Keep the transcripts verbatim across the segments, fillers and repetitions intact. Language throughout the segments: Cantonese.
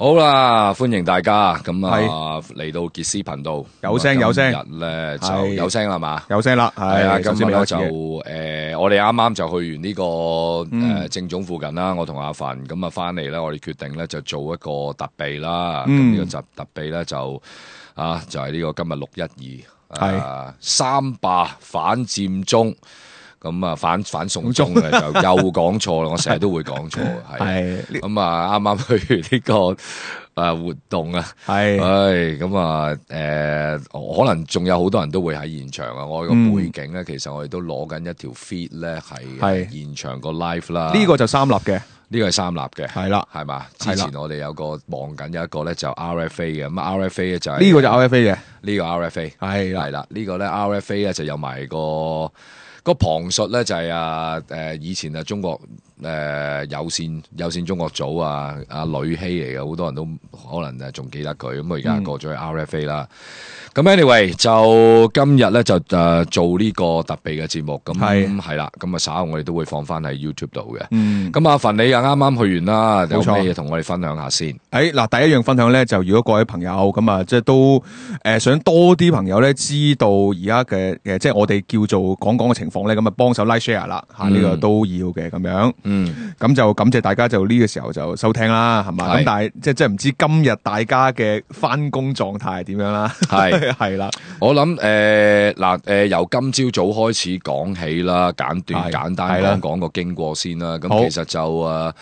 好啦，歡迎大家咁啊嚟到傑斯頻道，有聲有聲，今日咧就有聲啦嘛，有聲啦，係啊，今日咧就誒，誒，我哋啱啱就去完呢個嗯誒正總附近啦，我同阿凡咁啊翻嚟咧，我哋決定咧就做一個特備啦，咁嗯呢個特特備咧就啊就係呢個今日六一二，係啊三罷反佔中。咁啊反反送中嘅就又講錯啦，我成日都會講錯，係咁啊啱啱去完呢個誒活動啊，係，唉咁啊誒可能仲有好多人都會喺現場啊，我個背景咧其實我哋都攞緊一條 feed 咧係現場個 live 啦，呢個就三立嘅。呢個係三立嘅，係啦，係嘛？之前我哋有個望緊有一個咧就 R F A 嘅，咁 R F A 咧就係呢個就 R F A 嘅，呢個 R F A 係係啦，呢個咧 R F A 咧就有埋個。個旁述咧就係啊誒以前啊中國誒、呃、有線有線中國組啊阿呂希嚟嘅，好多人都可能誒仲記得佢，咁佢而家過咗去 R F A 啦。咁、嗯、anyway 就今日咧就誒、呃、做呢個特備嘅節目，咁係係啦，咁啊稍後我哋都會放翻喺 YouTube 度嘅。咁、嗯、阿凡你啊啱啱去完啦，有咩嘢同我哋分享下先？誒嗱，第一樣分享咧就如果各位朋友咁啊，即係都誒、呃、想多啲朋友咧知道而家嘅誒即係我哋叫做講講嘅情況咧，咁啊幫手 like share 啦嚇，呢、嗯、個都要嘅咁樣。嗯，咁就感謝大家就呢個時候就收聽啦，係嘛？咁但係即係即係唔知今日大家嘅返工狀態係點樣啦？係係啦，我諗誒嗱誒由今朝早開始講起啦，簡短簡單講講個經過先啦。咁其實就誒。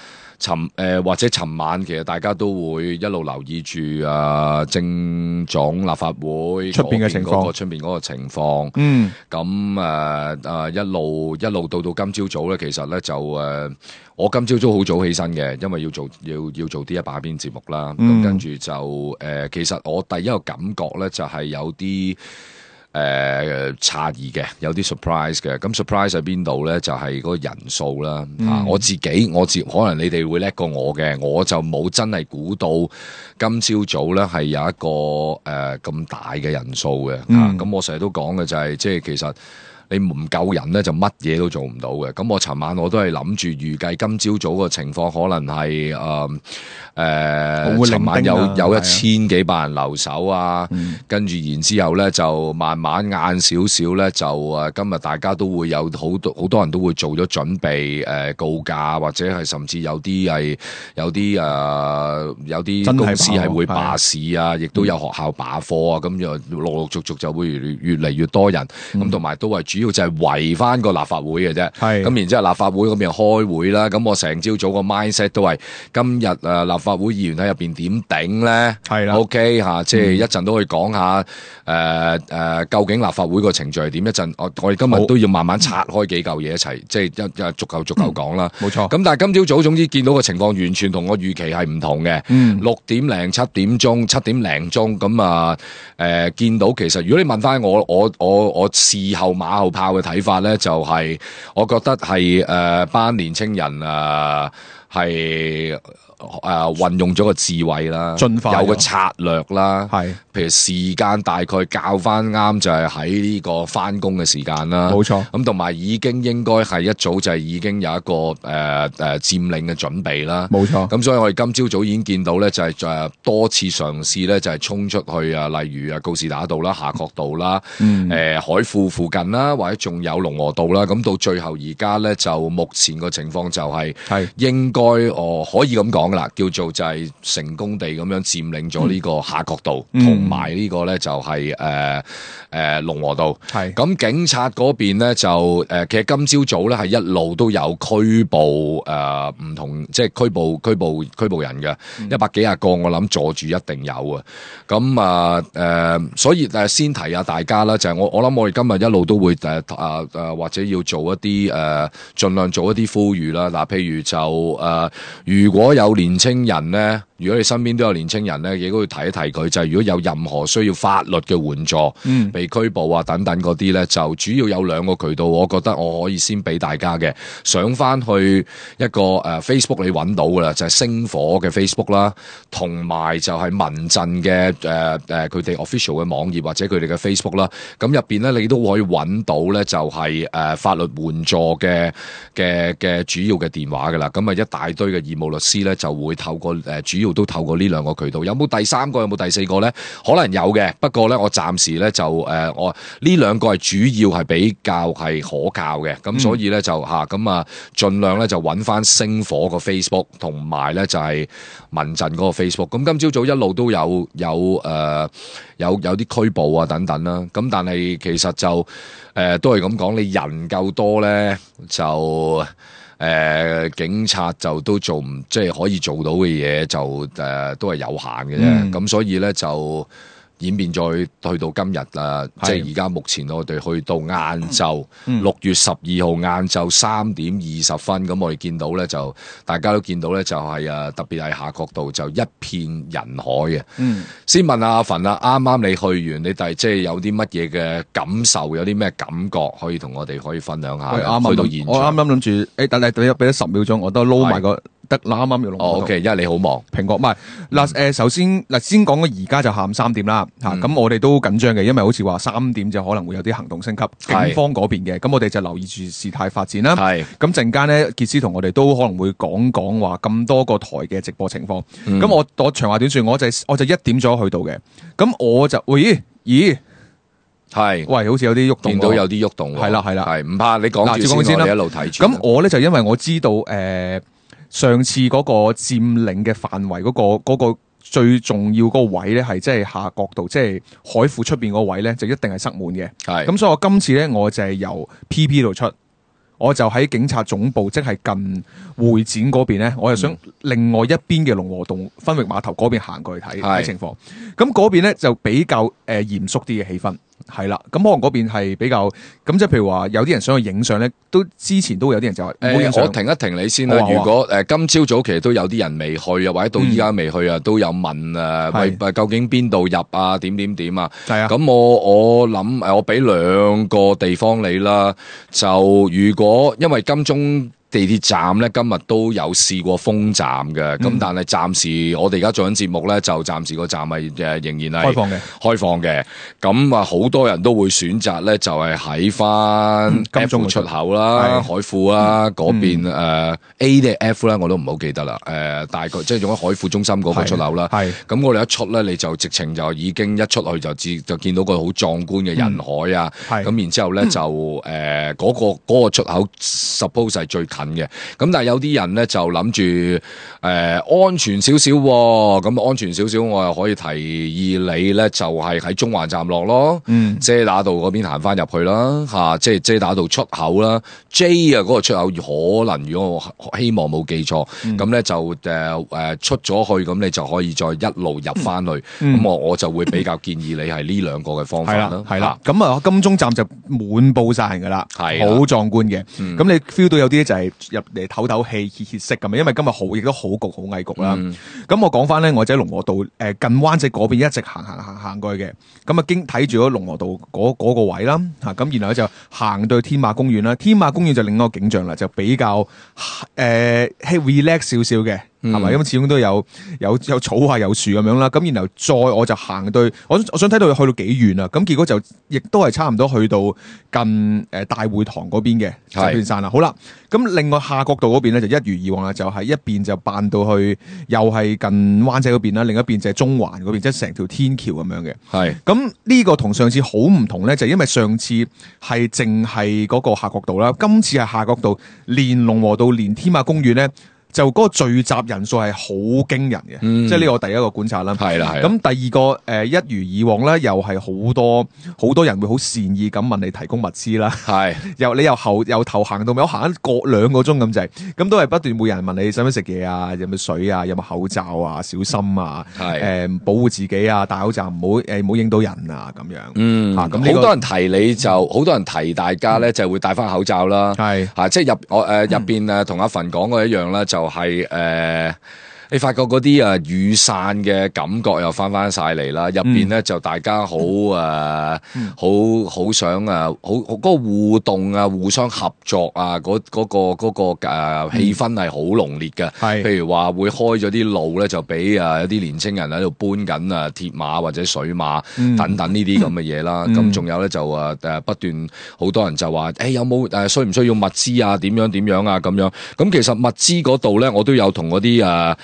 尋誒、呃、或者尋晚其實大家都會一路留意住啊政總立法會出邊嘅情況，出邊嗰個情況。嗯，咁誒誒一路一路到到今朝早咧，其實咧就誒、呃、我今朝早好早起身嘅，因為要做要要做啲一把邊節目啦。咁、嗯、跟住就誒、呃，其實我第一個感覺咧就係有啲。誒詫異嘅，有啲 surprise 嘅。咁 surprise 喺邊度咧？就係、是、嗰個人數啦。嗯啊、我自己我自可能你哋會叻過我嘅，我就冇真係估到今朝早咧係有一個誒咁、呃、大嘅人數嘅。咁、嗯啊、我成日都講嘅就係、是，即係其實。你唔夠人咧，就乜嘢都做唔到嘅。咁我尋晚我都係諗住預計今朝早個情況可能係誒誒，尋晚有有一千幾百人留守啊，嗯、跟住然之後咧就慢慢晏少少咧就誒，今日大家都會有好多好多人都會做咗準備誒、呃、告假，或者係甚至有啲係有啲誒、呃、有啲公司係會罷市啊，亦都有學校罷課啊，咁就陸陸續續就會越嚟越多人，咁同埋都係主要就係圍翻個立法會嘅啫，咁然之後立法會嗰邊開會啦，咁我成朝早個 mindset 都係今日誒立法會議員喺入邊點頂咧，係啦 ，OK 嚇，即係一陣都可以講下誒誒、呃呃、究竟立法會個程序係點，一陣我我哋今日都要慢慢拆開幾嚿嘢一齊，即係一一逐嚿逐嚿講啦，冇、嗯、錯。咁但係今朝早總之見到個情況完全同我預期係唔同嘅，嗯、六點零七點鐘七點零鐘咁啊誒見到其實如果你問翻我我我我事後馬後炮嘅睇法咧，就係、是、我覺得係誒、呃、班年青人誒係誒運用咗個智慧啦，有個策略啦，係譬如時間大概校翻啱就係喺呢個翻工嘅時間啦，冇錯。咁同埋已經應該係一早就係已經有一個誒誒、呃、佔領嘅準備啦，冇錯。咁所以我哋今朝早已經見到咧，就係誒多次嘗試咧，就係衝出去啊，例如啊告士打道啦、夏慤道啦、誒、嗯呃、海富附近啦，或者仲有龍和道啦。咁到最後而家咧，就目前個情況就係係應該哦可以咁講。啦，叫做就係成功地咁樣佔領咗呢個夏慤道，同埋呢個咧就係誒誒龍和道。係咁，警察嗰邊咧就誒、呃，其實今朝早咧係一路都有拘捕誒唔、呃、同，即係拘捕拘捕拘捕人嘅一百幾廿個，我諗坐住一定有啊。咁啊誒，所以誒先提下大家啦，就係、是、我我諗我哋今日一路都會誒誒誒或者要做一啲誒盡量做一啲呼籲啦。嗱，譬如就誒、呃、如果有年青人咧，如果你身邊都有年青人咧，亦都要提一提佢，就係、是、如果有任何需要法律嘅援助、嗯、被拘捕啊等等嗰啲咧，就主要有兩個渠道，我覺得我可以先俾大家嘅，上翻去一個誒、呃、Facebook 你揾到噶啦，就係、是、星火嘅 Facebook 啦，同埋就係民陣嘅誒誒佢哋 official 嘅網頁或者佢哋嘅 Facebook 啦，咁入邊咧你都可以揾到咧，就係、是、誒、呃、法律援助嘅嘅嘅主要嘅電話噶啦，咁啊一大堆嘅義務律師咧就就會透過誒、呃、主要都透過呢兩個渠道。有冇第三個？有冇第四個咧？可能有嘅，不過咧我暫時咧就誒、呃、我呢兩個係主要係比較係可靠嘅，咁所以咧就嚇咁啊，盡量咧就揾翻星火個 Facebook 同埋咧就係民陣嗰個 Facebook。咁今朝早一路都有有誒、呃、有有啲拘捕啊等等啦。咁但係其實就誒、呃、都係咁講，你人夠多咧就誒、呃、警察就都做唔即係可以做到嘅嘢就誒、呃、都係有限嘅啫。咁、嗯、所以咧就。演變再去到今日啦，即係而家目前我哋去到晏晝六月十二號晏晝三點二十分，咁我哋見到咧就大家都見到咧就係誒特別係夏慤道就一片人海嘅。嗯，先問下阿馮啦，啱啱你去完，你第即係有啲乜嘢嘅感受，有啲咩感覺可以同我哋可以分享下？去到現場，我啱啱諗住，誒等你俾俾咗十秒鐘，我都撈埋個。得啦，啱啱要龍和道。哦 ，OK， 因為你好忙。蘋果唔係嗱，誒，首先嗱，先講嘅而家就下午三點啦，嚇、嗯，咁我哋都緊張嘅，因為好似話三點就可能會有啲行動升級，警方嗰邊嘅，咁我哋就留意住事態發展啦。係，咁陣間咧，傑斯同我哋都可能會講講話咁多個台嘅直播情況。咁、嗯、我我長話短説，我就我就一點咗去到嘅，咁我就喂咦？係，喂，好似有啲喐動，見到有啲喐動，係啦係啦，係唔怕，你講住先，我哋一路睇住。咁我咧就因為我知道誒。呃上次嗰個佔領嘅範圍嗰、嗰個、嗰個最重要嗰個位咧，係即係夏慤道，即係海庫出邊嗰位咧，就一定係塞滿嘅。係咁，所以我今次咧，我就係由 P P 度出，我就喺警察總部，即係近會展嗰邊咧，我就想另外一邊嘅龍和道分域碼頭嗰邊行過去睇睇情況。咁嗰邊咧就比較誒嚴肅啲嘅氣氛。係啦，咁可能嗰邊係比較咁，即係譬如話有啲人想去影相咧，都之前都會有啲人就話，誒，我停一停你先啦。如果誒今朝早其實都有啲人未去啊，或者到依家未去啊，都有問誒，喂，究竟邊度入啊？點點點啊？係啊。咁我我諗誒，我俾兩個地方你啦。就如果因為金鐘地鐵站咧今日都有試過封站嘅，咁、嗯、但係暫時我哋而家做緊節目咧，就暫時個站係誒仍然係開放嘅，開放嘅。咁啊，好多人都會選擇咧，就係喺翻金鐘出口啦、海富啦嗰邊誒、呃、A 定 F 啦，我都唔好記得啦。誒、呃，大概即係用喺海富中心嗰個出口啦。係咁，我哋一出咧，你就直情就已經一出去就至就見到個好壯觀嘅人海啊。係、嗯、咁，然之後咧就誒嗰、呃嗰個嗰、嗰個出口 suppose 係最嘅，咁但係有啲人咧就諗住誒安全少少，咁安全少少，我又可以提議你咧就係喺中環站落咯，嗯，遮打道嗰邊行翻入去啦，吓、啊，即係遮打道出口啦 ，J 啊嗰個出口可能如果我希望冇記錯，咁、嗯、咧就誒誒、呃、出咗去，咁你就可以再一路入翻去，咁、嗯、我我就會比較建議你係呢兩個嘅方法啦，係啦，咁啊金鐘站就滿布晒人噶啦，係好壯觀嘅，咁、嗯、你 feel 到有啲就係、是。入嚟唞唞氣歇歇息咁，因為今日好亦都好焗好翳焗啦。咁、嗯、我講翻咧，我喺龍和道誒近灣仔嗰邊一直行行行行過去嘅。咁啊經睇住咗龍和道嗰嗰個位啦，嚇咁然後咧就行到去天馬公園啦。天馬公園就另一個景象啦，就比較誒 relax 少少嘅。係咪？因為始終都有有有草啊，有樹咁樣啦。咁然後再我就行到，我我想睇到去到幾遠啊。咁結果就亦都係差唔多去到近誒大會堂嗰邊嘅石片山啦。好啦，咁另外夏慤道嗰邊咧就一如以往啦，就係、是、一邊就扮到去又係近灣仔嗰邊啦，另一邊就係中環嗰邊，即係成條天橋咁樣嘅。係咁呢個同上次好唔同咧，就係、因為上次係淨係嗰個夏慤道啦，今次係夏慤道連龍和道連天馬公園咧。就嗰個聚集人數係好驚人嘅、嗯，即係呢個我第一個觀察啦。係啦，係。咁第二個誒、呃，一如以往咧，又係好多好多人會好善意咁問你提供物資啦。係，由你由後由頭行到尾，我行一個兩個鐘咁滯，咁都係不斷每人問你使唔使食嘢啊，有冇水啊，有冇口罩啊，小心啊，係誒、呃、保護自己啊，戴口罩唔好誒唔好影到人啊咁樣。嗯，嚇咁好多人提你就好、嗯、多人提大家咧，就會戴翻口罩啦。係嚇、啊，即係入我誒入邊誒同阿馮講嘅一樣啦，就。就係、是、誒、呃，你發覺嗰啲啊雨傘嘅感覺又翻翻晒嚟啦，入邊咧就大家好誒，好好想啊，好嗰、那個互動啊，互相合作啊，嗰、那、嗰個嗰、那個誒、呃、氣氛係好濃烈嘅。係，譬如話會開咗啲路咧，就俾啊有啲年青人喺度搬緊啊鐵馬或者水馬、嗯、等等呢啲咁嘅嘢啦。咁、嗯、仲有咧就誒誒不斷好多人就話誒、欸、有冇誒需唔需要物資啊？點樣點樣啊？咁樣咁其實物資嗰度咧，我都有同嗰啲誒。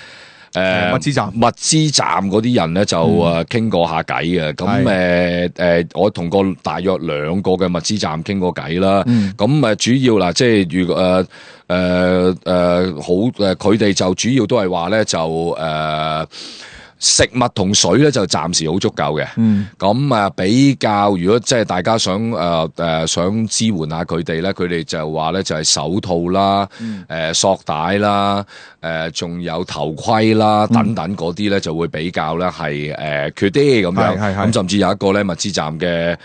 誒物資站物資站嗰啲人咧就誒傾過下偈嘅，咁誒誒我同過大約兩個嘅物資站傾過偈啦，咁誒、嗯、主要嗱即係如果誒誒誒好誒佢哋就主要都係話咧就誒。呃食物同水咧就暫時好足夠嘅，咁啊、嗯、比較如果即係大家想誒誒、呃呃、想支援下佢哋咧，佢哋就話咧就係手套啦、誒、嗯呃、索帶啦、誒、呃、仲有頭盔啦等等嗰啲咧就會比較咧係誒缺啲咁樣，咁甚至有一個咧物資站嘅。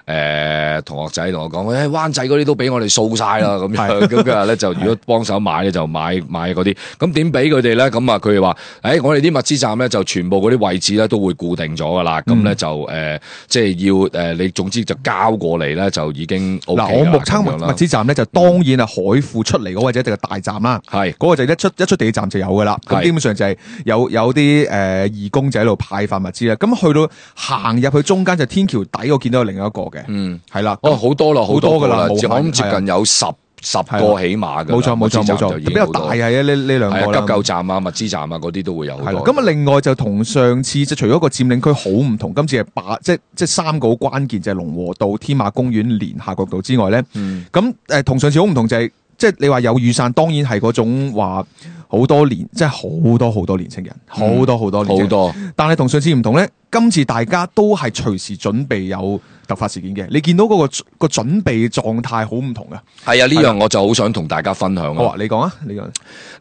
誒、呃、同學仔同我講，誒灣仔嗰啲都俾我哋掃晒啦，咁樣咁佢話咧就如果幫手買咧就買買嗰啲，咁點俾佢哋咧？咁啊佢哋話，誒、欸、我哋啲物資站咧就全部嗰啲位置咧都會固定咗噶啦，咁咧、嗯、就誒、呃、即係要誒、呃、你總之就交過嚟咧就已經 O K 啦。嗱，我目測物物資站咧就當然係海富出嚟嗰個就一定係大站啦，係嗰、嗯、個就一出一出地鐵站就有噶啦，咁基本上就係有有啲誒、呃、義工仔喺度派發物資啦，咁去到行入去中間就天橋底，我見到有另一個嘅，嗯，係啦。哦，好多啦，好多噶啦，我諗接近有十十個起碼嘅，冇錯冇錯冇錯，比較大係啊呢呢兩個啦，急救站啊、物資站啊嗰啲都會有好多。咁啊，另外就同上次即係除咗個佔領區好唔同，今次係八即係即係三個好關鍵，就係龍和道、天馬公園、連夏慤道之外咧，咁誒同上次好唔同就係即係你話有雨傘，當然係嗰種話好多年，即係好多好多年青人，好多好多年青人，好多。但係同上次唔同咧，今次大家都係隨時準備有突發事件嘅，你見到嗰、那個個準備狀態好唔同嘅。係啊，呢樣我就好想同大家分享啊。好啊，你講啊，你講。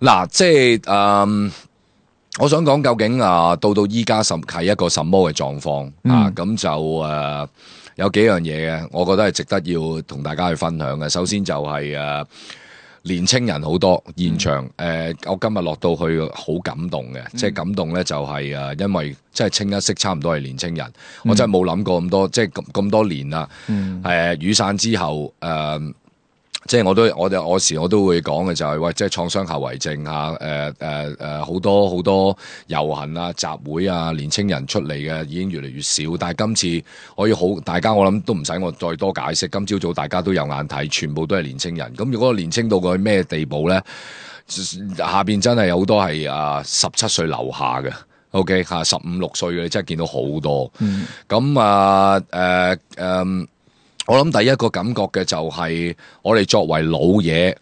嗱，即係誒、嗯，我想講究竟啊，到到依家什係一個什麼嘅狀況啊？咁就誒、呃、有幾樣嘢嘅，我覺得係值得要同大家去分享嘅。首先就係、是、誒。呃年青人好多現場，誒、嗯呃，我今日落到去好感動嘅，嗯、即係感動咧就係、是、誒，因為即係清一色差唔多係年青人，嗯、我真係冇諗過咁多，即係咁咁多年啦，誒、嗯呃，雨傘之後，誒、呃。即係我都我哋我時我都會講嘅就係、是、喂，即係創傷後遺症啊，誒誒誒好多好多遊行啊、集會啊，年青人出嚟嘅已經越嚟越少。但係今次我要好，大家我諗都唔使我再多解釋。今朝早大家都有眼睇，全部都係年青人。咁如果年青到佢咩地步咧？下邊真係有好多係啊十七歲樓下嘅 ，OK 嚇十五六歲嘅，你真係見到好多。咁、嗯、啊誒誒。呃呃我諗第一個感覺嘅就係我哋作為老嘢，誒、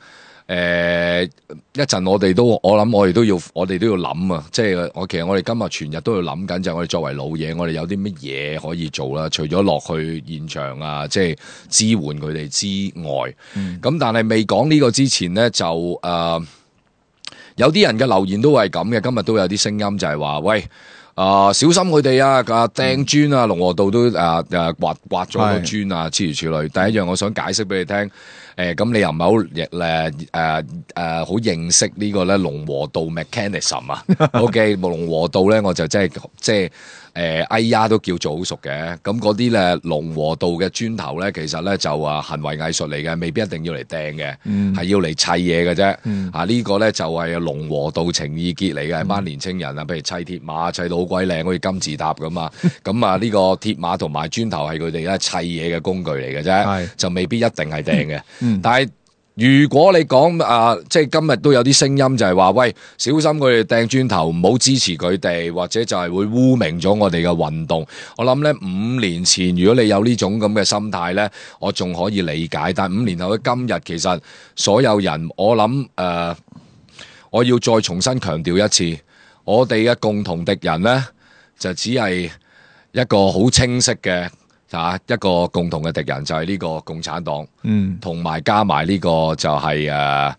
呃、一陣我哋都我諗我哋都要我哋都要諗啊！即係我其實我哋今日全日都要諗緊，就係我哋作為老嘢，我哋有啲乜嘢可以做啦？除咗落去現場啊，即係支援佢哋之外，咁、嗯、但係未講呢個之前咧，就誒、呃、有啲人嘅留言都係咁嘅。今日都有啲聲音就係話喂。啊、呃！小心佢哋啊！啊掟磚啊！龍和道都啊啊刮刮咗個磚啊！諸如此類。第一樣我想解釋俾你聽，誒、呃、咁你又唔係好誒誒誒好認識個呢個咧龍和道 mechanism 啊？OK，龍和道咧我就真係即係。誒哎呀都叫做好熟嘅，咁嗰啲咧龍和道嘅磚頭咧，其實咧就話行為藝術嚟嘅，未必一定要嚟掟嘅，係、嗯、要嚟砌嘢嘅啫。嗯、啊、這個、呢個咧就係、是、龍和道情意結嚟嘅，係班年青人啊，譬如砌鐵馬砌到好鬼靚，好似金字塔咁啊。咁啊呢個鐵馬同埋磚頭係佢哋咧砌嘢嘅工具嚟嘅啫，是就未必一定係掟嘅。嗯、但係如果你講啊，即係今日都有啲聲音就係話，喂，小心佢哋掟磚頭，唔好支持佢哋，或者就係會污名咗我哋嘅運動。我諗咧，五年前如果你有呢種咁嘅心態咧，我仲可以理解。但係五年後嘅今日，其實所有人，我諗誒、呃，我要再重新強調一次，我哋嘅共同敵人咧，就只係一個好清晰嘅。啊！一個共同嘅敵人就係呢個共產黨，嗯，同埋加埋呢個就係誒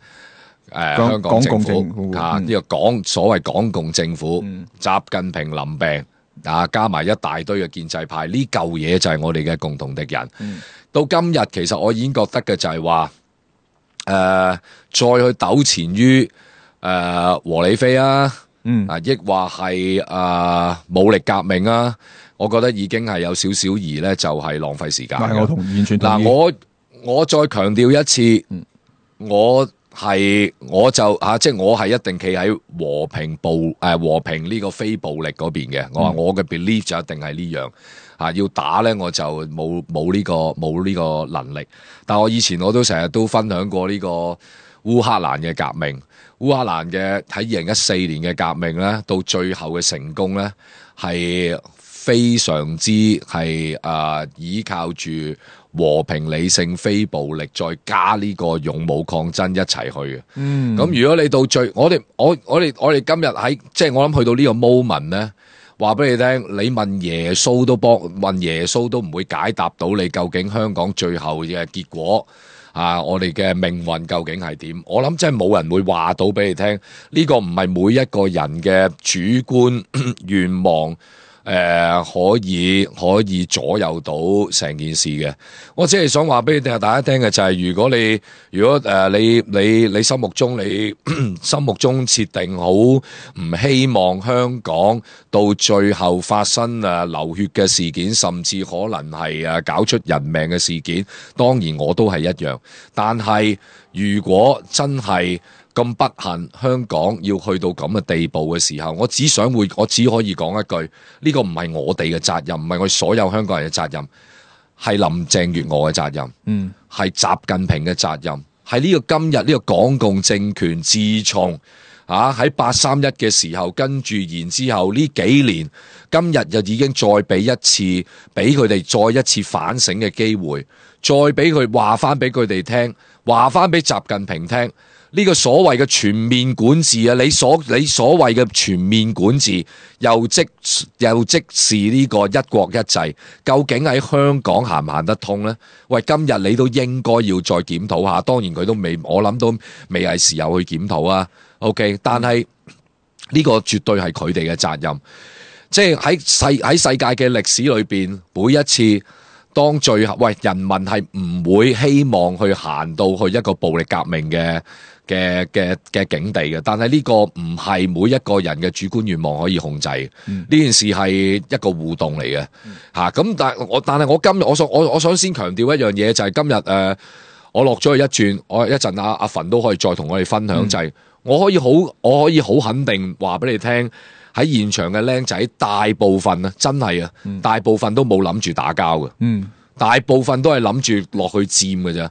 誒香港政府啊，呢、嗯、個港所謂港共政府，嗯、習近平臨病啊，加埋一大堆嘅建制派，呢嚿嘢就係我哋嘅共同敵人。嗯、到今日其實我已經覺得嘅就係話誒，再去糾纏於誒和理非啊，嗯啊，抑或係誒、呃、武力革命啊。我覺得已經係有少少而咧，就係浪費時間。我同完全同意。嗱，我我再強調一次，嗯、我係我就嚇，即係我係一定企喺和平暴誒、呃、和平呢個非暴力嗰邊嘅。嗯、我話我嘅 belief 就一定係呢樣嚇，要打咧我就冇冇呢個冇呢個能力。但係我以前我都成日都分享過呢、呢個。烏克蘭嘅革命，烏克蘭嘅喺二零一四年嘅革命咧，到最後嘅成功咧，係非常之係誒依靠住和平、理性、非暴力，再加呢個勇武抗爭一齊去嘅。嗯，咁如果你到最，我哋我我哋我哋今日喺即係我諗去到呢個 moment 咧，話俾你聽，你問耶穌都幫問耶穌都唔會解答到你究竟香港最後嘅結果啊！我哋嘅命運究竟係點？我諗真係冇人會話到俾你聽，呢個唔係每一個人嘅主觀願望。誒、呃，可以可以左右到成件事嘅。我只係想話俾你哋大家聽嘅就係、是，如果你如果誒、呃、你你你心目中你心目中設定好唔希望香港到最後發生誒流血嘅事件，甚至可能係誒搞出人命嘅事件，當然我都係一樣。但係如果真係咁不幸，香港要去到咁嘅地步嘅時候，我只想會，我只可以講一句：呢個唔係我哋嘅責任，唔係我哋所有香港人嘅責任，係林鄭月娥嘅責任，嗯，係習近平嘅責任，係呢個今日呢個港共政權自從啊喺八三一嘅時候，跟住然之後呢幾年，今日就已經再俾一次，俾佢哋再一次反省嘅機會，再俾佢話翻俾佢哋聽，話翻俾習近平聽。呢個所謂嘅全面管治啊，你所你所謂嘅全面管治，又即又即是呢個一國一制，究竟喺香港行唔行得通呢？喂，今日你都應該要再檢討下，當然佢都未，我諗都未係時候去檢討啊。OK， 但係呢個絕對係佢哋嘅責任，即係喺世喺世界嘅歷史裏邊，每一次。當最後，喂，人民係唔會希望去行到去一個暴力革命嘅嘅嘅嘅境地嘅，但係呢個唔係每一個人嘅主觀願望可以控制嘅。呢、嗯、件事係一個互動嚟嘅，嚇、嗯。咁、啊、但係我但係我今日我想我我想先強調一樣嘢，就係、是、今日誒、呃，我落咗去一轉，我一陣阿阿馮都可以再同我哋分享，嗯、就係我可以好我可以好肯定話俾你聽。喺現場嘅僆仔，大部分啊，真係啊，嗯、大部分都冇諗住打交嘅，嗯、大部分都係諗住落去佔嘅啫。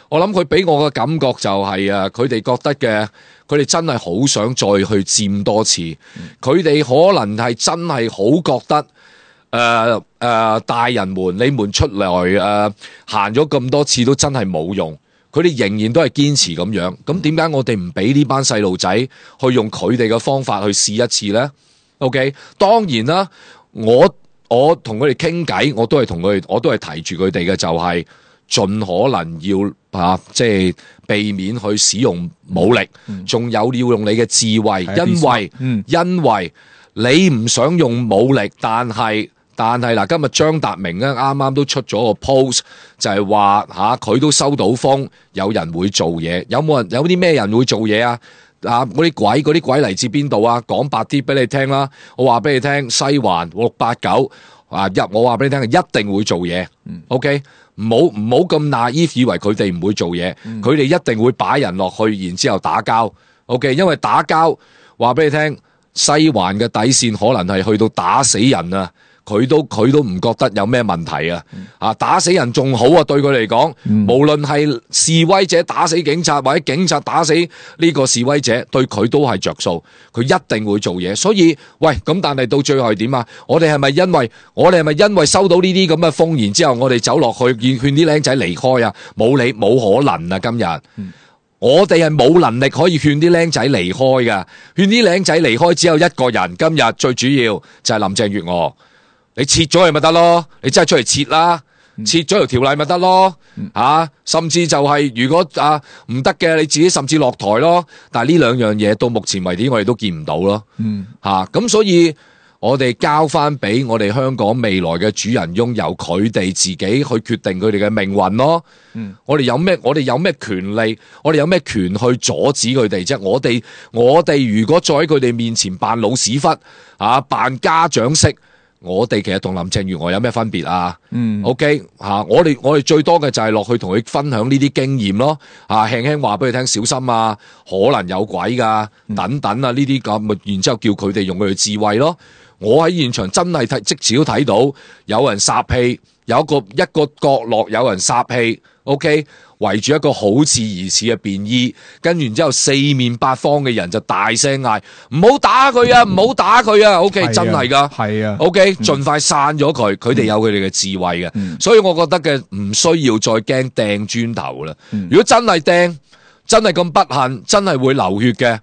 我諗佢俾我嘅感覺就係、是、啊，佢哋覺得嘅，佢哋真係好想再去佔多次。佢哋、嗯、可能係真係好覺得，誒、呃、誒、呃，大人們，你們出來誒行咗咁多次都真係冇用。佢哋仍然都係堅持咁樣。咁點解我哋唔俾呢班細路仔去用佢哋嘅方法去試一次呢？OK， 當然啦，我我同佢哋傾偈，我都係同佢哋，我都係提住佢哋嘅，就係盡可能要啊，即係避免去使用武力，仲、嗯、有要用你嘅智慧，嗯、因為、嗯、因為你唔想用武力，但係但係嗱，今日張達明咧啱啱都出咗個 post，就係話吓佢都收到風，有人會做嘢，有冇人有啲咩人會做嘢啊？啊！嗰啲鬼，嗰啲鬼嚟自邊度啊？講白啲俾你聽啦，我話俾你聽，西環六八九啊，入我話俾你聽，一定會做嘢。嗯、OK，唔好唔好咁 naive，以為佢哋唔會做嘢，佢哋、嗯、一定會擺人落去，然之後打交。OK，因為打交話俾你聽，西環嘅底線可能係去到打死人啊！佢都佢都唔覺得有咩問題啊！啊，打死人仲好啊，對佢嚟講，嗯、無論係示威者打死警察，或者警察打死呢個示威者，對佢都係着數。佢一定會做嘢。所以，喂，咁但係到最後係點啊？我哋係咪因為我哋係咪因為收到呢啲咁嘅風，然之後我哋走落去勸勸啲僆仔離開啊？冇理冇可能啊！今日、嗯、我哋係冇能力可以勸啲僆仔離開噶，勸啲僆仔離開只有一個人。今日最主要就係林鄭月娥。你撤咗佢咪得咯？你真係出嚟撤啦，撤咗條條例咪得咯？吓、啊，甚至就係、是、如果啊唔得嘅，你自己甚至落台咯。但係呢兩樣嘢到目前為止我哋都見唔到咯。嗯，吓咁、啊、所以我哋交翻俾我哋香港未來嘅主人翁，由佢哋自己去決定佢哋嘅命運咯。嗯，我哋有咩？我哋有咩權利？我哋有咩權去阻止佢哋啫？我哋我哋如果再喺佢哋面前扮老屎忽啊，扮家長式。我哋其實同林鄭月娥有咩分別啊？嗯，OK 吓、啊，我哋我哋最多嘅就係落去同佢分享呢啲經驗咯，啊，輕輕話俾佢聽小心啊，可能有鬼噶，等等啊，呢啲咁，然之後叫佢哋用佢嘅智慧咯。我喺現場真係睇，即時都睇到有人撒氣，有一個一個角落有人撒氣， OK， 圍住一個好似疑似嘅便衣，跟住然之後四面八方嘅人就大聲嗌唔好打佢啊，唔好打佢啊 ！OK， 真係噶，係啊 ，OK， 盡快散咗佢，佢哋有佢哋嘅智慧嘅，嗯所以我覺得嘅唔需要再驚掟磚頭啦。嗯如果真係掟，真係咁不幸，真係會流血嘅。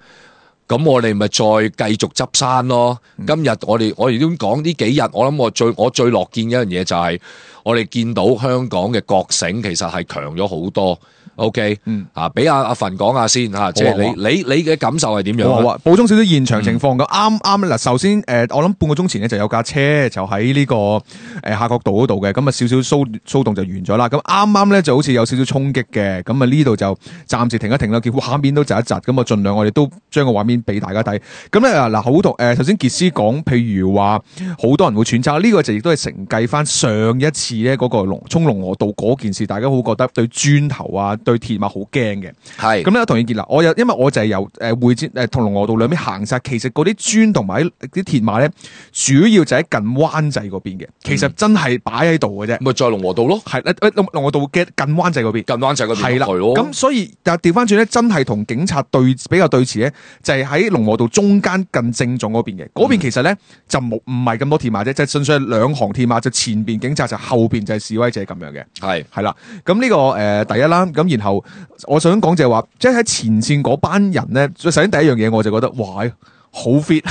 咁我哋咪再繼續執山咯。今日我哋我哋都講呢幾日，我諗我最我最樂見嘅一樣嘢就係我哋見到香港嘅覺醒其實係強咗好多。OK，嗯啊，俾阿阿馮講下先嚇，即係你你你嘅感受係點樣啊？好啊，補充少少現場情況咁，啱啱嗱，首先誒、呃，我諗半個鐘前咧就有架車就喺呢、這個誒、呃、夏慤道嗰度嘅，咁啊少少騷騷動就完咗啦。咁啱啱咧就好似有少少衝擊嘅，咁啊呢度就暫時停一停啦，叫畫面都窒一窒，咁啊盡量我哋都將個畫面俾大家睇。咁咧嗱，好同誒，頭先傑斯講，譬如話好多人會揣測，呢、這個就亦都係承繼翻上一次咧嗰個龍衝龍河道嗰件事，大家好覺得對磚頭啊。對鐵馬好驚嘅，係咁咧。同意見啦，我有因為我就係由誒會展誒同龍和道兩邊行晒，其實嗰啲磚同埋啲鐵馬咧，主要就喺近灣仔嗰邊嘅，其實真係擺喺度嘅啫。咪再龍和道咯，係誒龍龍和道嘅近灣仔嗰邊，近灣仔嗰邊係啦。咁所以但係調翻轉咧，真係同警察對比較對峙咧，就係喺龍和道中間近正中嗰邊嘅。嗰邊其實咧就冇唔係咁多鐵馬啫，就純粹係兩行鐵馬，就前邊警察，就後邊就係示威者咁樣嘅。係係啦，咁呢、這個誒、呃、第一啦，咁然後我想講就係話，即係喺前線嗰班人咧，首先第一樣嘢我就覺得，哇，好 fit，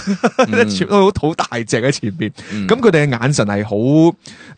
全部都好大隻喺前邊，咁佢哋嘅眼神係好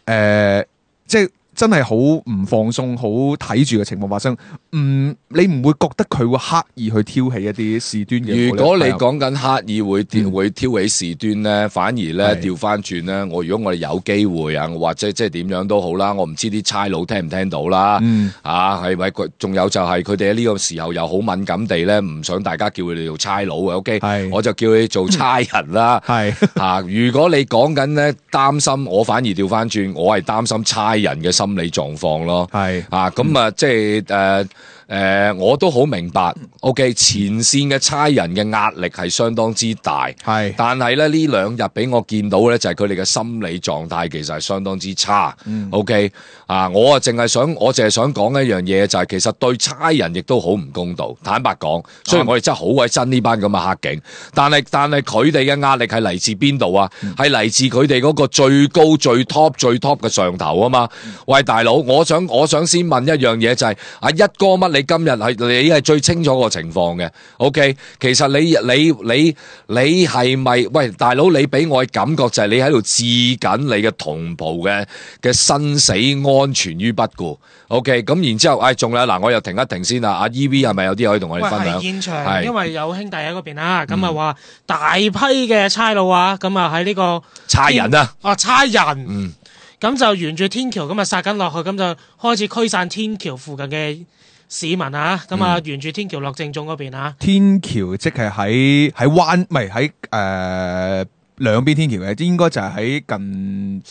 誒，即係。真係好唔放鬆，好睇住嘅情況發生。嗯，你唔會覺得佢會刻意去挑起一啲事端嘅？如果你講緊刻意會挑、嗯、會挑起事端咧，反而咧調翻轉咧，我如果我哋有機會啊，或者即係點樣都好啦，我唔知啲差佬聽唔聽到啦。嗯、啊，係咪？仲有就係佢哋喺呢個時候又好敏感地咧，唔想大家叫佢哋做差佬嘅。OK，我就叫佢做差人啦。係啊，如果你講緊咧擔心，我反而調翻轉，我係擔心差人嘅心理狀況咯，係啊，咁啊，即係誒誒，我都好明白。OK，前線嘅差人嘅壓力係相當之大，係，但係咧呢兩日俾我見到咧，就係佢哋嘅心理狀態其實係相當之差。嗯、OK，啊，我啊淨係想，我淨係想講一樣嘢，就係其實對差人亦都好唔公道。坦白講，雖然我哋真係好鬼憎呢班咁嘅黑警，但係但係佢哋嘅壓力係嚟自邊度啊？係嚟、嗯、自佢哋嗰個最高最 top 最 top 嘅上頭啊嘛。嗯、喂，大佬，我想我想先問一樣嘢就係、是、阿一哥乜？你今日係你係最清楚個情況嘅。OK， 其實你你你你係咪喂大佬？你俾我嘅感覺就係你喺度置緊你嘅同袍嘅嘅生死安全於不顧。OK， 咁然之後，唉、哎，仲有嗱，我又停一停先啦。阿 E V 係咪有啲可以同我哋分享？喂，係現場，因為有兄弟喺嗰邊啦，咁啊話大批嘅差佬啊，咁啊喺呢個差人啊，啊差人，嗯。咁就沿住天橋咁啊殺緊落去，咁就開始驅散天橋附近嘅市民啊！咁啊、嗯，沿住天橋落正中嗰邊啊！天橋即係喺喺灣，唔係喺誒兩邊天橋嘅，應該就係喺近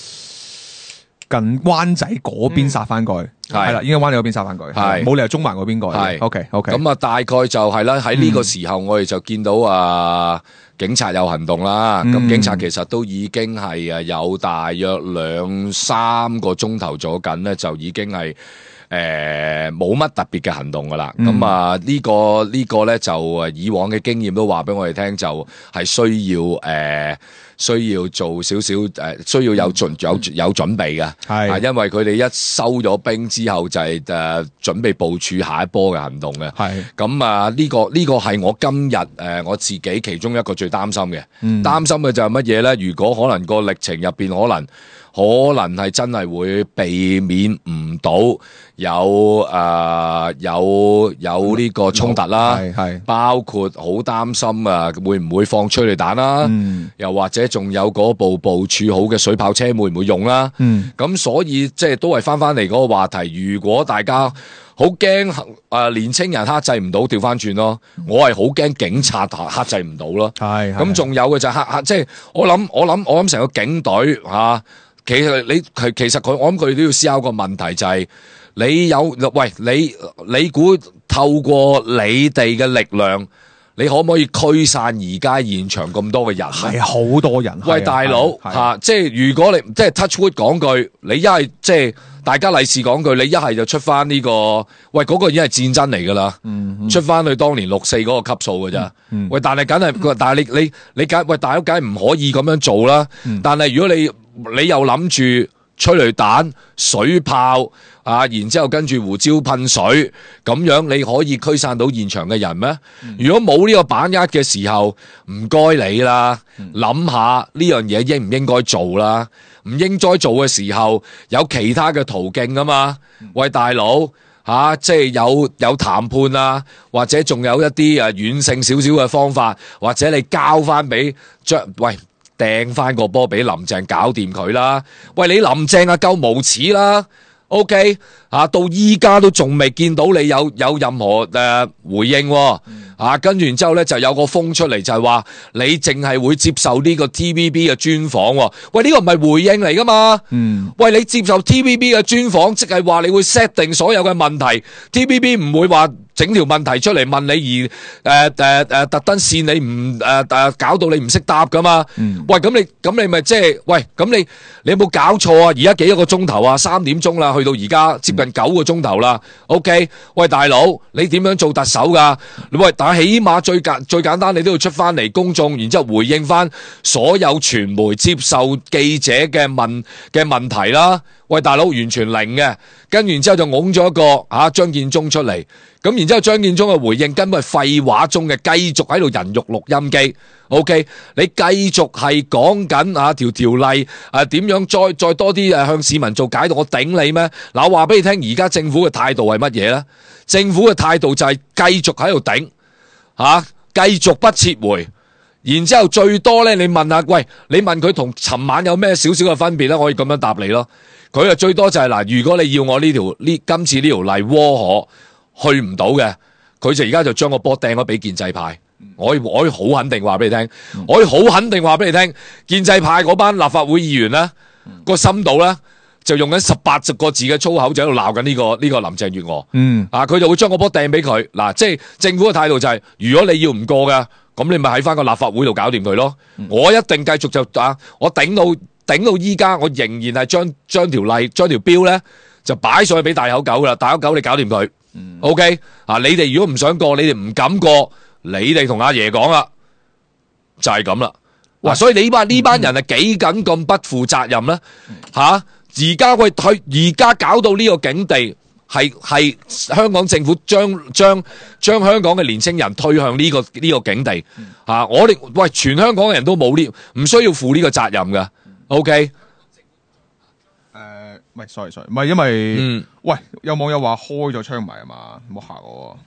近灣仔嗰邊殺翻過去，係啦、嗯，應該灣仔嗰邊殺翻過去，係冇理由中環嗰邊過去。係 OK OK。咁啊，大概就係啦，喺呢個時候我哋就見到啊。警察有行動啦，咁、嗯、警察其實都已經係誒有大約兩三個鐘頭咗緊咧，就已經係誒冇乜特別嘅行動噶啦。咁、嗯、啊、這個這個、呢個呢個咧就誒以往嘅經驗都話俾我哋聽，就係需要誒。呃需要做少少誒，需要有準有有準備嘅，係、嗯，因為佢哋一收咗兵之後就係、是、誒、呃、準備部署下一波嘅行動嘅，係、嗯。咁啊呢個呢、這個係我今日誒、呃、我自己其中一個最擔心嘅，嗯、擔心嘅就係乜嘢咧？如果可能個歷程入邊可能。可能係真係會避免唔到有誒、呃、有有呢個衝突啦，係係包括好擔心啊，會唔會放催淚彈啦？嗯、又或者仲有嗰部部署好嘅水炮車會唔會用啦？咁、嗯、所以即係都係翻翻嚟嗰個話題，如果大家好驚誒年青人克制唔到，調翻轉咯，我係好驚警察克制唔到咯。係咁仲有嘅就係克克，即係我諗我諗我諗成個警隊吓。啊其實你其其實佢我諗佢哋都要思考個問題，就係你有喂你你估透過你哋嘅力量，你可唔可以驅散而家現場咁多嘅人咧？係好多人。喂，大佬吓，即係如果你即係 touch wood 講句，你一係即係大家利是講句，你一係就出翻呢、這個，喂嗰、那個已經係戰爭嚟噶啦，嗯嗯、出翻去當年六四嗰個級數噶咋？嗯嗯、喂，但係梗係，但係你你你梗喂，大佬梗係唔可以咁樣做啦。嗯、但係如果你你又諗住催淚彈、水炮啊，然之後跟住胡椒噴水，咁樣你可以驅散到現場嘅人咩？嗯、如果冇呢個把握嘅時候，唔該你啦，諗下呢樣嘢應唔應該做啦？唔應該做嘅時候，有其他嘅途徑啊嘛。喂，大佬吓、啊，即係有有談判啊，或者仲有一啲誒軟性少少嘅方法，或者你交翻俾將喂。掟翻個波俾林鄭搞掂佢啦！喂，你林鄭啊夠無恥啦 ！OK 啊，到依家都仲未見到你有有任何誒、呃、回應、哦，啊，跟住然之後咧就有個風出嚟就係話你淨係會接受呢個 T V B 嘅專訪、哦。喂，呢、這個唔係回應嚟噶嘛？嗯，喂，你接受 T V B 嘅專訪，即係話你會 set 定所有嘅問題 ，T V B 唔會話。整條問題出嚟問你而誒誒誒特登線你唔誒誒搞到你唔識答噶嘛？嗯、喂，咁你咁你咪即係喂咁你你有冇搞錯啊？而家幾多個鐘頭啊？三點鐘啦，去到而家接近九個鐘頭啦。OK，喂大佬，你點樣做特首噶？喂，但係起碼最簡最簡單，你都要出翻嚟公眾，然之後回應翻所有傳媒接受記者嘅問嘅問題啦。喂，大佬完全零嘅，跟完之後就拱咗一個啊張建宗出嚟，咁然之後張建宗嘅回應根本係廢話中嘅，繼續喺度人肉錄音機。OK，你繼續係講緊啊條條例啊點樣再再多啲誒向市民做解讀，我頂你咩？嗱，我話俾你聽，而家政府嘅態度係乜嘢咧？政府嘅態度就係繼續喺度頂，吓、啊、繼續不撤回。然之後最多咧，你問下，喂，你問佢同尋晚有咩少少嘅分別咧？我可以咁樣答你咯。佢啊最多就係、是、嗱，如果你要我呢條呢今次呢條例窩可去唔到嘅，佢就而家就將個波掟咗俾建制派。我可以我可以好肯定話俾你聽，我可以好肯定話俾你聽，建制派嗰班立法會議員咧、個深度咧就用緊十八十個字嘅粗口就喺度鬧緊呢個呢、呢個林鄭月娥。嗯，啊，佢就會將個波掟俾佢。嗱，即係政府嘅態度就係、是，如果你要唔過嘅，咁你咪喺翻個立法會度搞掂佢咯。嗯、我一定繼續就啊，我頂到。頂到依家，我仍然係將將條例、將條標咧，就擺上去俾大口狗噶啦。大口狗，你搞掂佢。嗯、OK 啊！你哋如果唔想過，你哋唔敢過，你哋同阿爺講啦，就係咁啦。哇！所以你班呢班人係幾緊咁不負責任咧？吓、啊！而家喂退，而家搞到呢個境地，係係香港政府將將將香港嘅年青人推向呢、這個呢、這個境地。吓、啊！我哋喂全香港嘅人都冇呢，唔需要負呢個責任嘅。O K，誒，唔係，sorry sorry，唔係因為，嗯、喂，有網友話開咗槍埋啊嘛，唔好嚇我。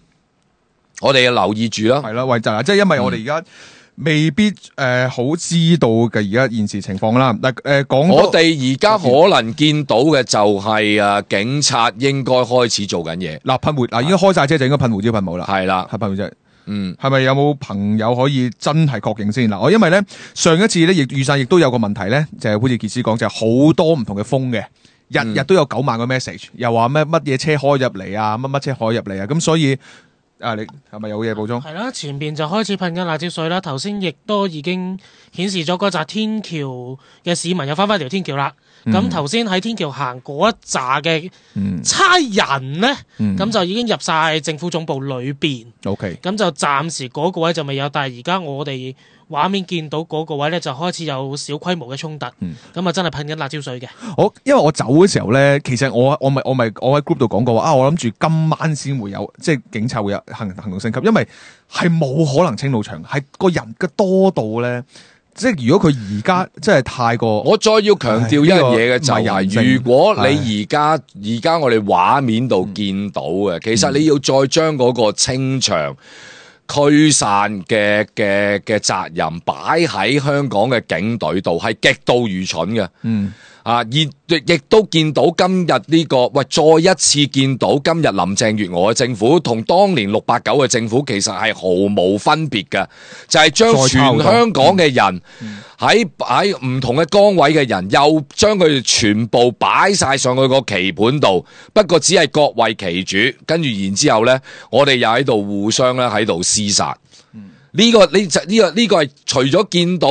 我哋要留意住啦，係啦，喂，就係即係因為我哋而家未必誒、呃、好知道嘅而家現時情況啦。嗱、呃，誒講我哋而家可能見到嘅就係、是、誒警察應該開始做緊嘢。嗱，噴胡嗱，應該開晒車就應該噴胡椒噴霧啦。係啦，係噴胡椒。嗯，係咪有冇朋友可以真係確認先嗱？我因為咧上一次咧亦預算亦都有個問題咧，就係、是、好似傑斯講，就係、是、好多唔同嘅風嘅，日日都有九萬個 message，又話咩乜嘢車開入嚟啊，乜乜車開入嚟啊，咁所以啊，你係咪有嘢補充？係啦，前邊就開始噴緊辣椒水啦，頭先亦都已經顯示咗嗰紮天橋嘅市民又翻返條天橋啦。咁頭先喺天橋行嗰一紮嘅差人咧，咁、嗯、就已經入晒政府總部裏邊。OK，咁就暫時嗰個位就未有，但係而家我哋畫面見到嗰個位咧，就開始有小規模嘅衝突。咁啊、嗯，真係噴緊辣椒水嘅。我因為我走嘅時候咧，其實我我咪我咪我喺 group 度講過話啊，我諗住今晚先會有，即係警察會有行行動升級，因為係冇可能清到場，係個人嘅多到咧。即係如果佢而家真係太過，我再要強調一樣嘢嘅就係，如果你而家而家我哋畫面度見到嘅，其實你要再將嗰個清場驅散嘅嘅嘅責任擺喺香港嘅警隊度，係極度愚蠢嘅。嗯。啊！而亦都見到今日呢個喂，再一次見到今日林鄭月娥嘅政府同當年六八九嘅政府其實係毫無分別嘅，就係將全香港嘅人喺喺唔同嘅崗位嘅人，又將佢哋全部擺晒上去個棋盤度，不過只係各為其主，跟住然之後咧，我哋又喺度互相咧喺度廝殺。呢、個呢就呢個呢、個係除咗見到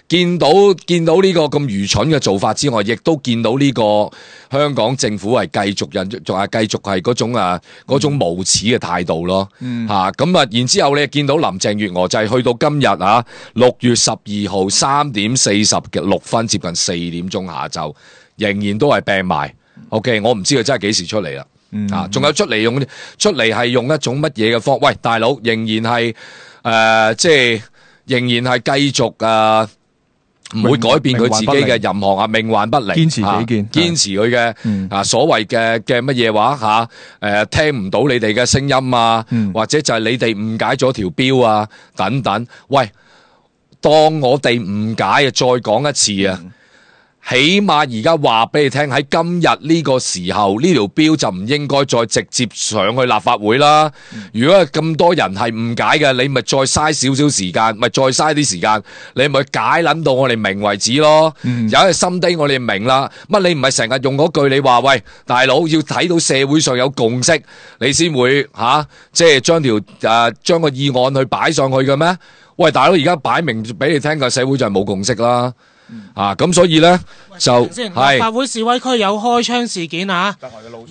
見到見到呢個咁愚蠢嘅做法之外，亦都見到呢個香港政府係繼續引仲係繼續係嗰種啊嗰種無恥嘅態度咯。吓咁啊，然之後你見到林鄭月娥就係去到今日啊六月十二號三點四十嘅六分，接近四點鐘下晝，仍然都係病埋。OK， 我唔知佢真係幾時出嚟啦。嗯、啊，仲有出嚟用出嚟係用一種乜嘢嘅方？喂，大佬仍然係誒、呃，即係仍然係繼續啊，唔會改變佢自己嘅任何啊，命幻不離，堅持己見，堅、啊、持佢嘅、嗯、啊所謂嘅嘅乜嘢話吓？誒、啊，聽唔到你哋嘅聲音啊，嗯、或者就係你哋誤解咗條標啊，等等。喂，當我哋誤解啊，再講一次啊！嗯起碼而家話俾你聽，喺今日呢個時候呢條標就唔應該再直接上去立法會啦。如果係咁多人係誤解嘅，你咪再嘥少少時間，咪再嘥啲時間，你咪解捻到我哋明為止咯。嗯、有一心低我哋明啦，乜你唔係成日用嗰句你話喂大佬要睇到社會上有共識，你先會吓、啊、即係將條誒將個議案去擺上去嘅咩？喂大佬，而家擺明俾你聽嘅社會就係冇共識啦。啊，咁所以咧就係立法會示威區有開槍事件啊，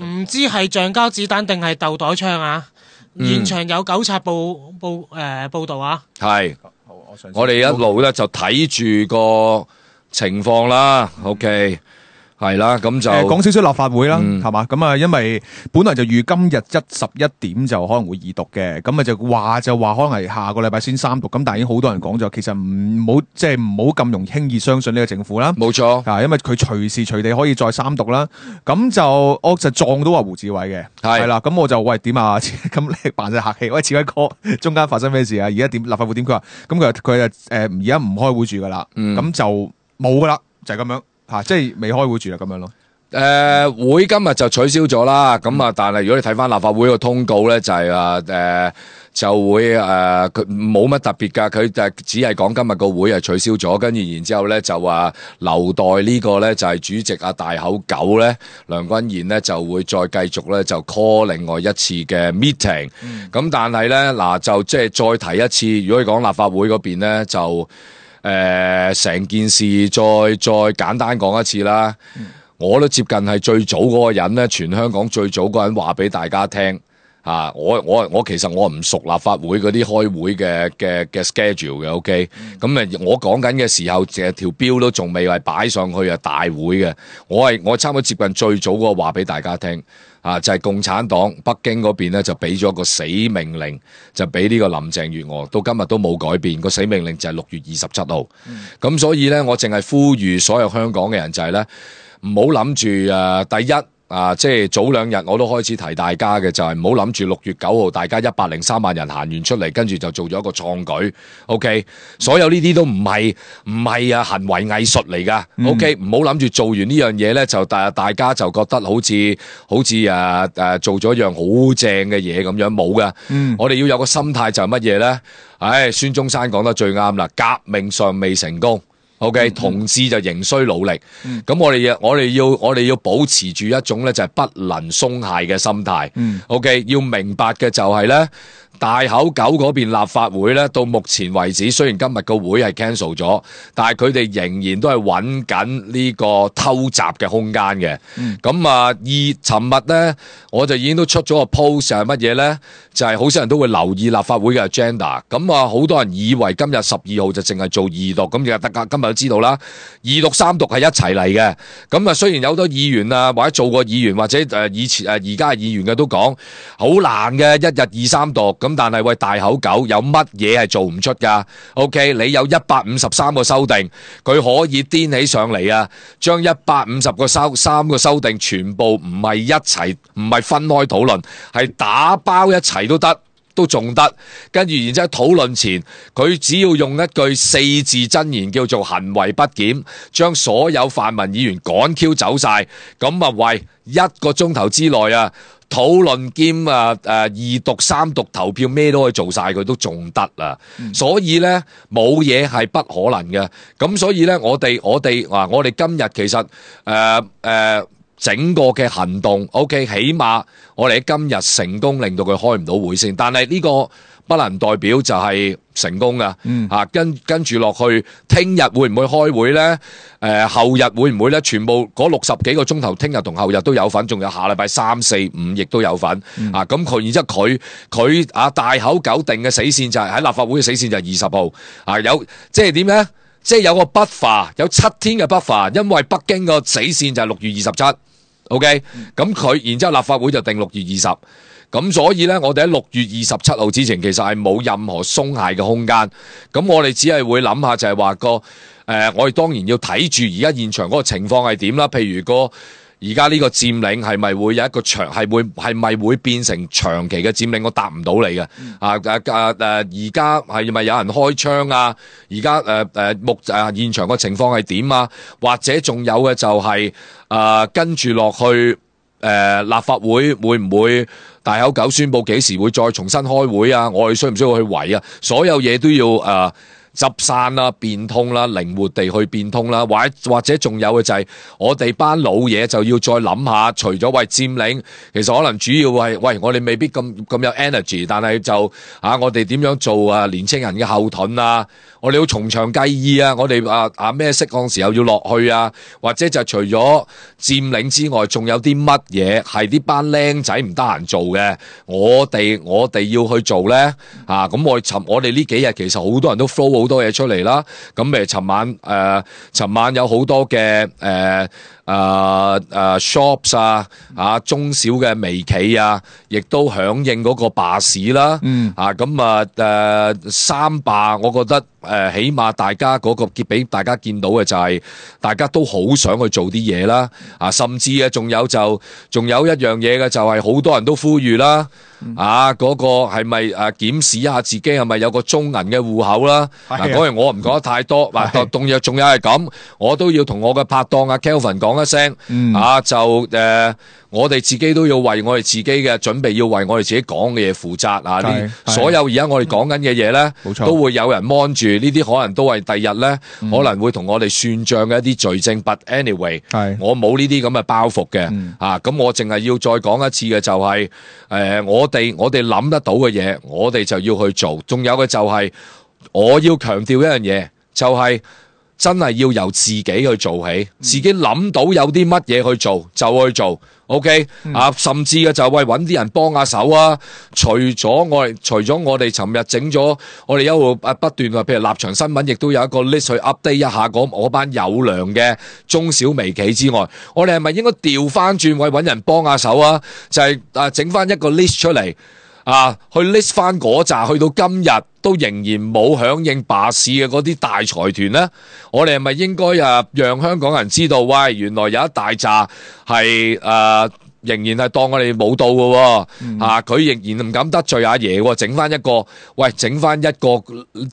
唔知係橡膠子彈定係豆袋槍啊，嗯、現場有糾察報報誒、呃、報道啊，係，我哋一路咧就睇住個情況啦 ，OK。係啦，咁就講少少立法會啦，係嘛、嗯？咁啊，因為本來就預今日一十一點就可能會二讀嘅，咁啊就話就話可能係下個禮拜先三讀，咁但係已經好多人講咗，其實唔好即係唔好咁容易輕易相信呢個政府啦。冇錯，啊，因為佢隨時隨地可以再三讀啦。咁就我就撞到話胡志偉嘅，係啦是，咁我就喂點啊？咁你扮晒客氣，喂，志偉哥，中間發生咩事啊？而家點立法會點？佢話咁佢話佢誒而家唔開會住噶啦，咁、嗯、就冇噶啦，就係、是、咁樣。吓、啊，即係未開會住啦，咁樣咯。誒、呃，會今日就取消咗啦。咁啊，但係如果你睇翻立法會個通告咧，就係話誒就會誒佢冇乜特別噶，佢就只係講今日個會係取消咗，跟住然之後咧就話留待呢個咧就係主席啊大口狗咧梁君彥咧就會再繼續咧就 call 另外一次嘅 meeting。咁、嗯、但係咧嗱就即係再提一次，如果你講立法會嗰邊咧就。誒，成、呃、件事再再簡單講一次啦，嗯、我都接近係最早嗰個人咧，全香港最早嗰個人話俾大家聽啊！我我我其實我唔熟立法會嗰啲開會嘅嘅嘅 schedule 嘅 ，OK，咁誒、嗯，我講緊嘅時候，成條標都仲未係擺上去啊大會嘅，我係我差唔多接近最早嗰個話俾大家聽。啊！就係、是、共產黨北京嗰邊咧，就俾咗個死命令，就俾呢個林鄭月娥，到今日都冇改變。個死命令就係六月二十七號。咁、嗯、所以咧，我淨係呼籲所有香港嘅人就係咧，唔好諗住誒，第一。啊，即係早兩日我都開始提大家嘅，就係唔好諗住六月九號大家一百零三萬人行完出嚟，跟住就做咗一個創舉。OK，所有呢啲都唔係唔係啊行為藝術嚟噶。OK，唔好諗住做完呢樣嘢咧，就大大家就覺得好似好似誒誒做咗一樣好正嘅嘢咁樣，冇噶。嗯、我哋要有個心態就係乜嘢咧？唉，孫中山講得最啱啦，革命尚未成功。OK，、嗯、同志就仍需努力。咁、嗯、我哋要，我哋要，我哋要保持住一種咧，就係不能鬆懈嘅心態。嗯、OK，要明白嘅就係咧，大口狗嗰邊立法會咧，到目前為止，雖然今日個會係 cancel 咗，但係佢哋仍然都係揾緊呢個偷襲嘅空間嘅。咁、嗯、啊，而尋日咧，我就已經都出咗個 post 係乜嘢咧？就係好少人都會留意立法會嘅 agenda。咁啊，好多人以為今日十二號就淨係做二讀，咁就得噶。今日都知道啦，二讀三讀係一齊嚟嘅。咁啊，雖然有好多議員啊，或者做過議員或者誒以前誒而家係議員嘅都講好難嘅，一日二三讀。咁但係喂，大口狗有乜嘢係做唔出噶 ？OK， 你有一百五十三個修訂，佢可以顛起上嚟啊，將一百五十個修三個修訂全部唔係一齊，唔係分開討論，係打包一齊都得，都仲得。跟住然之後討論前，佢只要用一句四字真言叫做行為不檢，將所有泛民議員趕 Q 走晒，咁啊喂，一個鐘頭之內啊！討論兼啊誒二讀三讀投票咩都可以做晒，佢都仲得啦。嗯、所以咧冇嘢係不可能嘅。咁所以咧我哋我哋啊我哋今日其實誒誒、呃呃、整個嘅行動 OK， 起碼我哋喺今日成功令到佢開唔到會先。但係呢個不能代表就係成功噶。嗯啊，跟跟住落去，聽日會唔會開會咧？誒、呃，後日會唔會咧？全部嗰六十幾個鐘頭，聽日同後日都有份，仲有下禮拜三四五亦都有份。嗯、啊，咁佢然之後佢佢啊大口九定嘅死線就係、是、喺立法會嘅死線就係二十號。啊，有即係點咧？即係有個 buffer，有七天嘅 buffer，因為北京個死線就係六月二十七。OK，咁佢然之後立法會就定六月二十。咁所以咧，我哋喺六月二十七號之前，其實係冇任何鬆懈嘅空間。咁我哋只係會諗下，就係話個誒，我哋當然要睇住而家現場嗰個情況係點啦。譬如個而家呢個佔領係咪會有一個長係會係咪會變成長期嘅佔領？我答唔到你嘅。啊啊啊誒！而家係咪有人開槍啊？而家誒誒目誒現場個情況係點啊？或者仲有嘅就係、是、誒、呃、跟住落去誒、呃、立法會會唔會？大口九宣佈幾時會再重新開會啊？我哋需唔需要去圍啊？所有嘢都要誒、呃、執散啦、變通啦、靈活地去變通啦，或者或者仲有嘅就係我哋班老嘢就要再諗下，除咗為佔領，其實可能主要係喂我哋未必咁咁有 energy， 但係就啊我哋點樣做啊年青人嘅後盾啊？我哋要從長計議啊！我哋啊啊咩適當時候要落去啊？或者就除咗佔領之外，仲有啲乜嘢係啲班僆仔唔得閒做嘅？我哋我哋要去做咧啊！咁我尋我哋呢幾日其實好多人都 flow 好多嘢出嚟啦。咁誒，尋晚誒，尋、呃、晚有好多嘅誒誒誒 shops 啊啊中小嘅微企啊，亦都響應嗰個罷市啦。嗯啊咁啊誒三罷，我覺得。誒、呃，起碼大家嗰個結俾大家見到嘅就係，大家都好想去做啲嘢啦，啊，甚至啊，仲有就仲有一樣嘢嘅就係，好多人都呼籲啦，嗯、啊，嗰、那個係咪誒檢視一下自己係咪有個中銀嘅戶口啦？嗱，嗰樣我唔講得太多，嗱，仲有仲有係咁，我都要同我嘅拍檔阿 Kelvin 講一聲，嗯、啊，就誒。呃我哋自己都要為我哋自己嘅準備，要為我哋自己講嘅嘢負責啊！呢所有而家我哋講緊嘅嘢咧，都會有人 mon 住，呢啲可能都係第日咧，嗯、可能會同我哋算賬嘅一啲罪證。But anyway，我冇呢啲咁嘅包袱嘅、嗯、啊！咁我淨係要再講一次嘅就係、是，誒、呃，我哋我哋諗得到嘅嘢，我哋就要去做。仲有嘅就係、是，我要強調一樣嘢，就係、是。真係要由自己去做起，自己諗到有啲乜嘢去做就去做 ，OK、嗯、啊，甚至嘅就係喂揾啲人幫下手啊。除咗我哋，除咗我哋尋日整咗，我哋一路啊不斷話，譬如立場新聞，亦都有一個 list 去 update 一下嗰我班有良嘅中小微企之外，我哋係咪應該調翻轉位揾人幫下手啊？就係、是、啊整翻一個 list 出嚟。啊，去 list 翻嗰扎，去到今日都仍然冇響應罷市嘅嗰啲大財團咧，我哋係咪應該啊讓香港人知道，喂，原來有一大扎係誒仍然係當我哋冇到嘅、啊，嗯、啊，佢仍然唔敢得罪阿爺，整翻一個，喂，整翻一個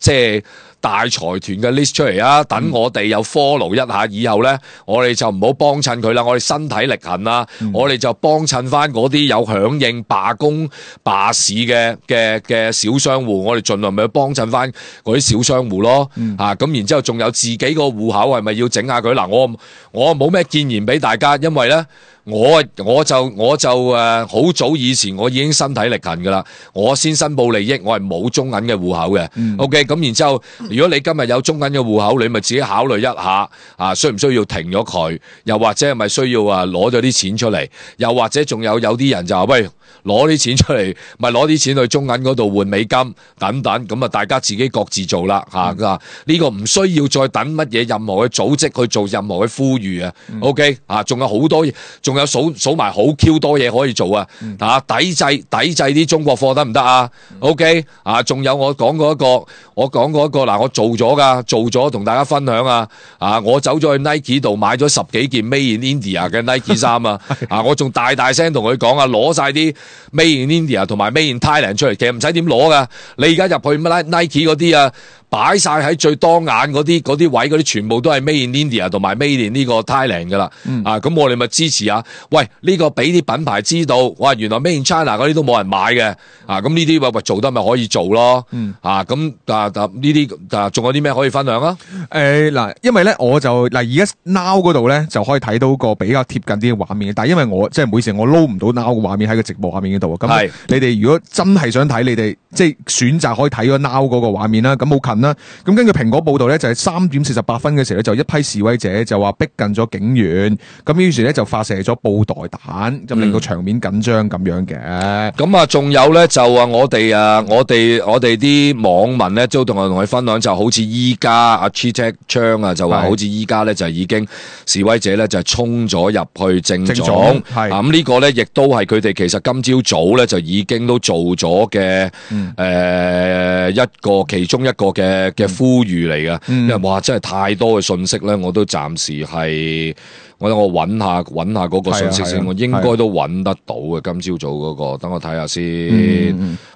即係。大財團嘅 list 出嚟啊！等我哋又 follow 一下，以後咧我哋就唔好幫襯佢啦。我哋身體力行啦，嗯、我哋就幫襯翻嗰啲有響應罷工罷市嘅嘅嘅小商戶，我哋盡量咪去幫襯翻嗰啲小商戶咯。嗯、啊，咁然之後仲有自己個戶口係咪要整下佢嗱？我我冇咩建言俾大家，因為咧。我我就我就誒好、呃、早以前我已經身體力行噶啦，我先申報利益，我係冇中銀嘅戶口嘅。嗯、OK，咁然之後，如果你今日有中銀嘅戶口，你咪自己考慮一下啊，需唔需要停咗佢？又或者係咪需要啊攞咗啲錢出嚟？又或者仲有有啲人就話喂，攞啲錢出嚟，咪攞啲錢去中銀嗰度換美金等等，咁啊大家自己各自做啦嚇。呢、嗯啊呢個唔需要再等乜嘢任何嘅組織去做任何嘅呼籲啊。嗯、OK，啊，仲有好多仲。仲有數數埋好 Q 多嘢可以做啊！嗯、啊，抵制抵制啲中國貨得唔得啊、嗯、？OK，啊，仲有我講過一個，我講過一個嗱，我做咗噶，做咗同大家分享啊！啊，我走咗去 Nike 度買咗十幾件 Made in India 嘅 Nike 衫啊！啊，我仲大大聲同佢講啊，攞晒啲 Made in India 同埋 Made in Thailand 出嚟，其實唔使點攞噶，你而家入去 Nike 嗰啲啊！擺晒喺最當眼嗰啲嗰啲位，嗰啲全部都係 Made in India 同埋 Made in 呢個 Thailand 噶啦，嗯、啊咁我哋咪支持下。喂，呢、呢個俾啲品牌知道，哇原來 Made in China 嗰啲都冇人買嘅，啊咁呢啲喂喂做得咪可以做咯，嗯、啊咁啊呢啲啊仲有啲咩可以分享啊？誒嗱、呃，因為咧我就嗱而家 Now 嗰度咧就可以睇到個比較貼近啲嘅畫面，但係因為我即係每次我撈唔到 Now 嘅畫面喺個直播播畫面嗰度。咁係你哋如果真係想睇，你哋即係選擇可以睇嗰 Now 嗰個畫面啦。咁好近啦。咁根據蘋果報道咧，就係三點四十八分嘅時候咧，就一批示威者就話逼近咗警員，咁於是咧就發射咗布袋彈，就令到場面緊張咁樣嘅。咁啊，仲有咧就話我哋啊，我哋我哋啲網民咧都同我同佢分享，就好似依家阿 Cheech 昌啊，就話好似依家咧就已經示威者咧就係衝咗入去政總，總係咁呢個咧亦都係佢哋其實今朝早咧就已經都做咗嘅誒一個其中一個嘅嘅呼籲嚟嘅，嗯、因為哇真係太多嘅信息咧，我都暫時係我等我揾下揾下嗰個信息先，我應該都揾得到嘅。今朝早嗰、嗰個，等我睇下先，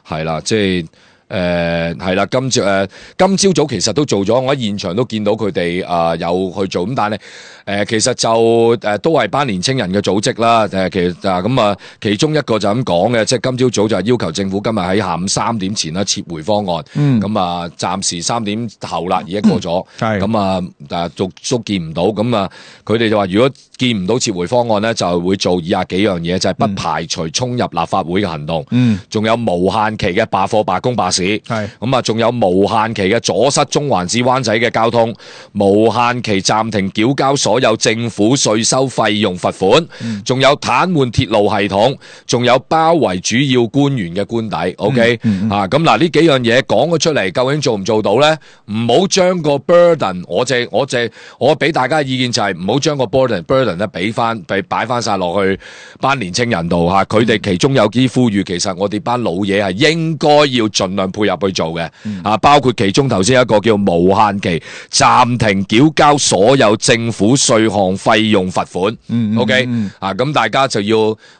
係啦、嗯，即係。誒係啦，今朝誒、呃、今朝早其實都做咗，我喺現場都見到佢哋啊有去做，咁但係誒、呃、其實就誒、呃、都係班年青人嘅組織啦。誒、呃、其實啊咁啊，其中一個就咁講嘅，即係今朝早就係要求政府今日喺下午三點前啦撤回方案。嗯，咁啊暫時三點後啦，已經過咗。係咁啊，誒都都見唔到。咁啊，佢哋就話如果見唔到撤回方案咧，就會做以下幾樣嘢，就係、是、不排除衝入立法會嘅行動。嗯，仲有無限期嘅罷課、罷工、罷市。係咁啊，仲有無限期嘅阻塞中環至灣仔嘅交通，無限期暫停繳交所有政府稅收費用罰款，仲、嗯、有癱瘓鐵路系統，仲有包圍主要官員嘅官邸。OK、嗯嗯、啊，咁嗱呢幾樣嘢講咗出嚟，究竟做唔做到咧？唔好將個 burden，我淨我淨我俾大家嘅意見就係唔好將個 burden burden 咧俾翻俾擺翻晒落去班年青人度吓，佢、啊、哋其中有啲呼籲，其實我哋班老嘢係應該要盡量配合去做嘅，啊，包括其中頭先一個叫無限期暫停繳交所有政府稅項費用罰款。嗯，OK，嗯啊，咁大家就要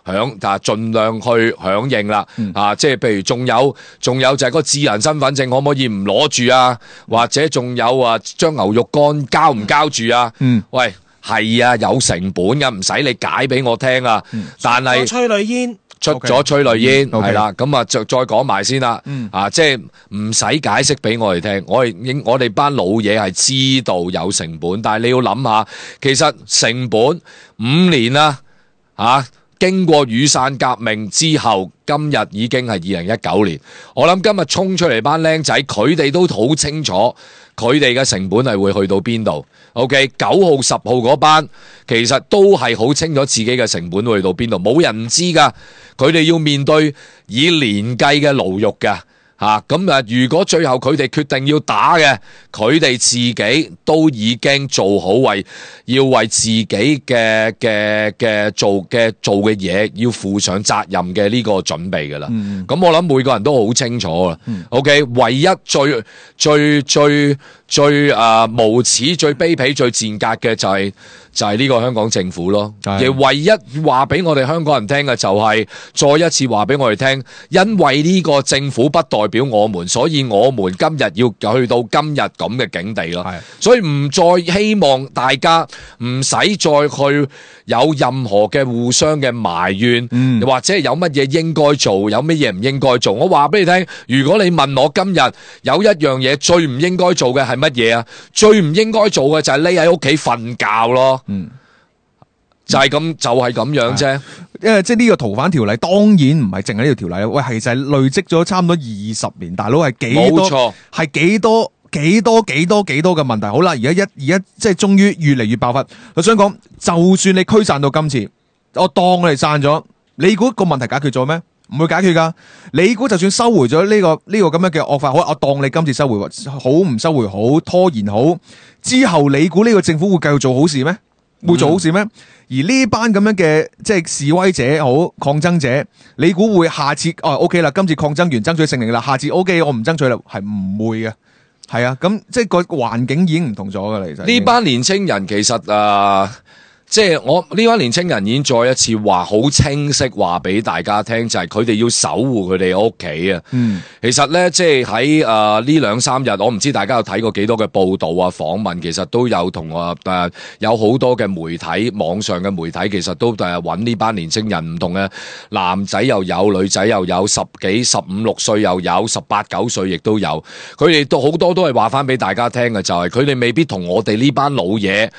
響啊，盡量去響應啦。嗯、啊，即係譬如仲有仲有就係個智能身份證可唔可以唔攞住啊？或者仲有啊，將牛肉乾交唔交住啊？嗯，喂，係啊，有成本㗎，唔使你解俾我聽啊。嗯、但係催淚煙。出咗催淚煙係啦，咁 Okay. 啊就再講埋先啦，嗯、啊即係唔使解釋俾我哋聽，我哋應我哋班老嘢係知道有成本，但係你要諗下，其實成本五年啦，啊經過雨傘革命之後，今日已經係二零一九年，我諗今日衝出嚟班僆仔，佢哋都好清楚佢哋嘅成本係會去到邊度。OK， 九號十號嗰班其實都係好清楚自己嘅成本會去到邊度，冇人唔知噶。佢哋要面對以年計嘅牢獄嘅吓，咁啊！如果最後佢哋決定要打嘅，佢哋自己都已經做好為要為自己嘅嘅嘅做嘅做嘅嘢，要負上責任嘅呢個準備噶啦。咁、嗯、我諗每個人都好清楚啦。嗯、OK， 唯一最最最最啊、呃、無恥、最卑鄙、最賤格嘅就係、是。就係呢個香港政府咯，而唯一話俾我哋香港人聽嘅就係、是、再一次話俾我哋聽，因為呢個政府不代表我們，所以我們今日要去到今日咁嘅境地咯。所以唔再希望大家唔使再去有任何嘅互相嘅埋怨，嗯、或者有乜嘢應該做，有乜嘢唔應該做。我話俾你聽，如果你問我今日有一樣嘢最唔應該做嘅係乜嘢啊？最唔應該做嘅就係匿喺屋企瞓覺咯。嗯，就係咁，就係咁樣啫。因為即係呢個逃犯條例，當然唔係淨係呢條條例。喂，其實係累積咗差唔多二十年，大佬係幾多？冇錯，係幾多幾多幾多幾多嘅問題。好啦，而家一而家即係終於越嚟越爆發。我想講，就算你驅散到今次，我當我哋散咗，你估個問題解決咗咩？唔會解決噶。你估就算收回咗呢、這個呢、這個咁樣嘅惡法，好，我當你今次收回好唔收回好拖延好之後，你估呢個政府會繼續做好事咩？會做好事咩？嗯、而呢班咁樣嘅即係示威者好抗爭者，你估會下次哦 OK 啦？今次抗爭完爭取勝利啦，下次 OK 我唔爭取啦，係唔會嘅。係啊，咁即係個環境已經唔同咗噶啦。其實呢班年青人其實誒。呃即係我呢班年青人已經再一次話好清晰話俾大家聽，就係佢哋要守護佢哋屋企啊。嗯，其實咧，即係喺誒呢兩三日，我唔知大家有睇過幾多嘅報道啊、訪問，其實都有同我誒有好多嘅媒體、網上嘅媒體，其實都誒揾呢班年青人，唔同嘅男仔又有，女仔又有，十幾、十五六歲又有，十八九歲亦都有。佢哋都好多都係話翻俾大家聽嘅，就係佢哋未必同我哋呢班老嘢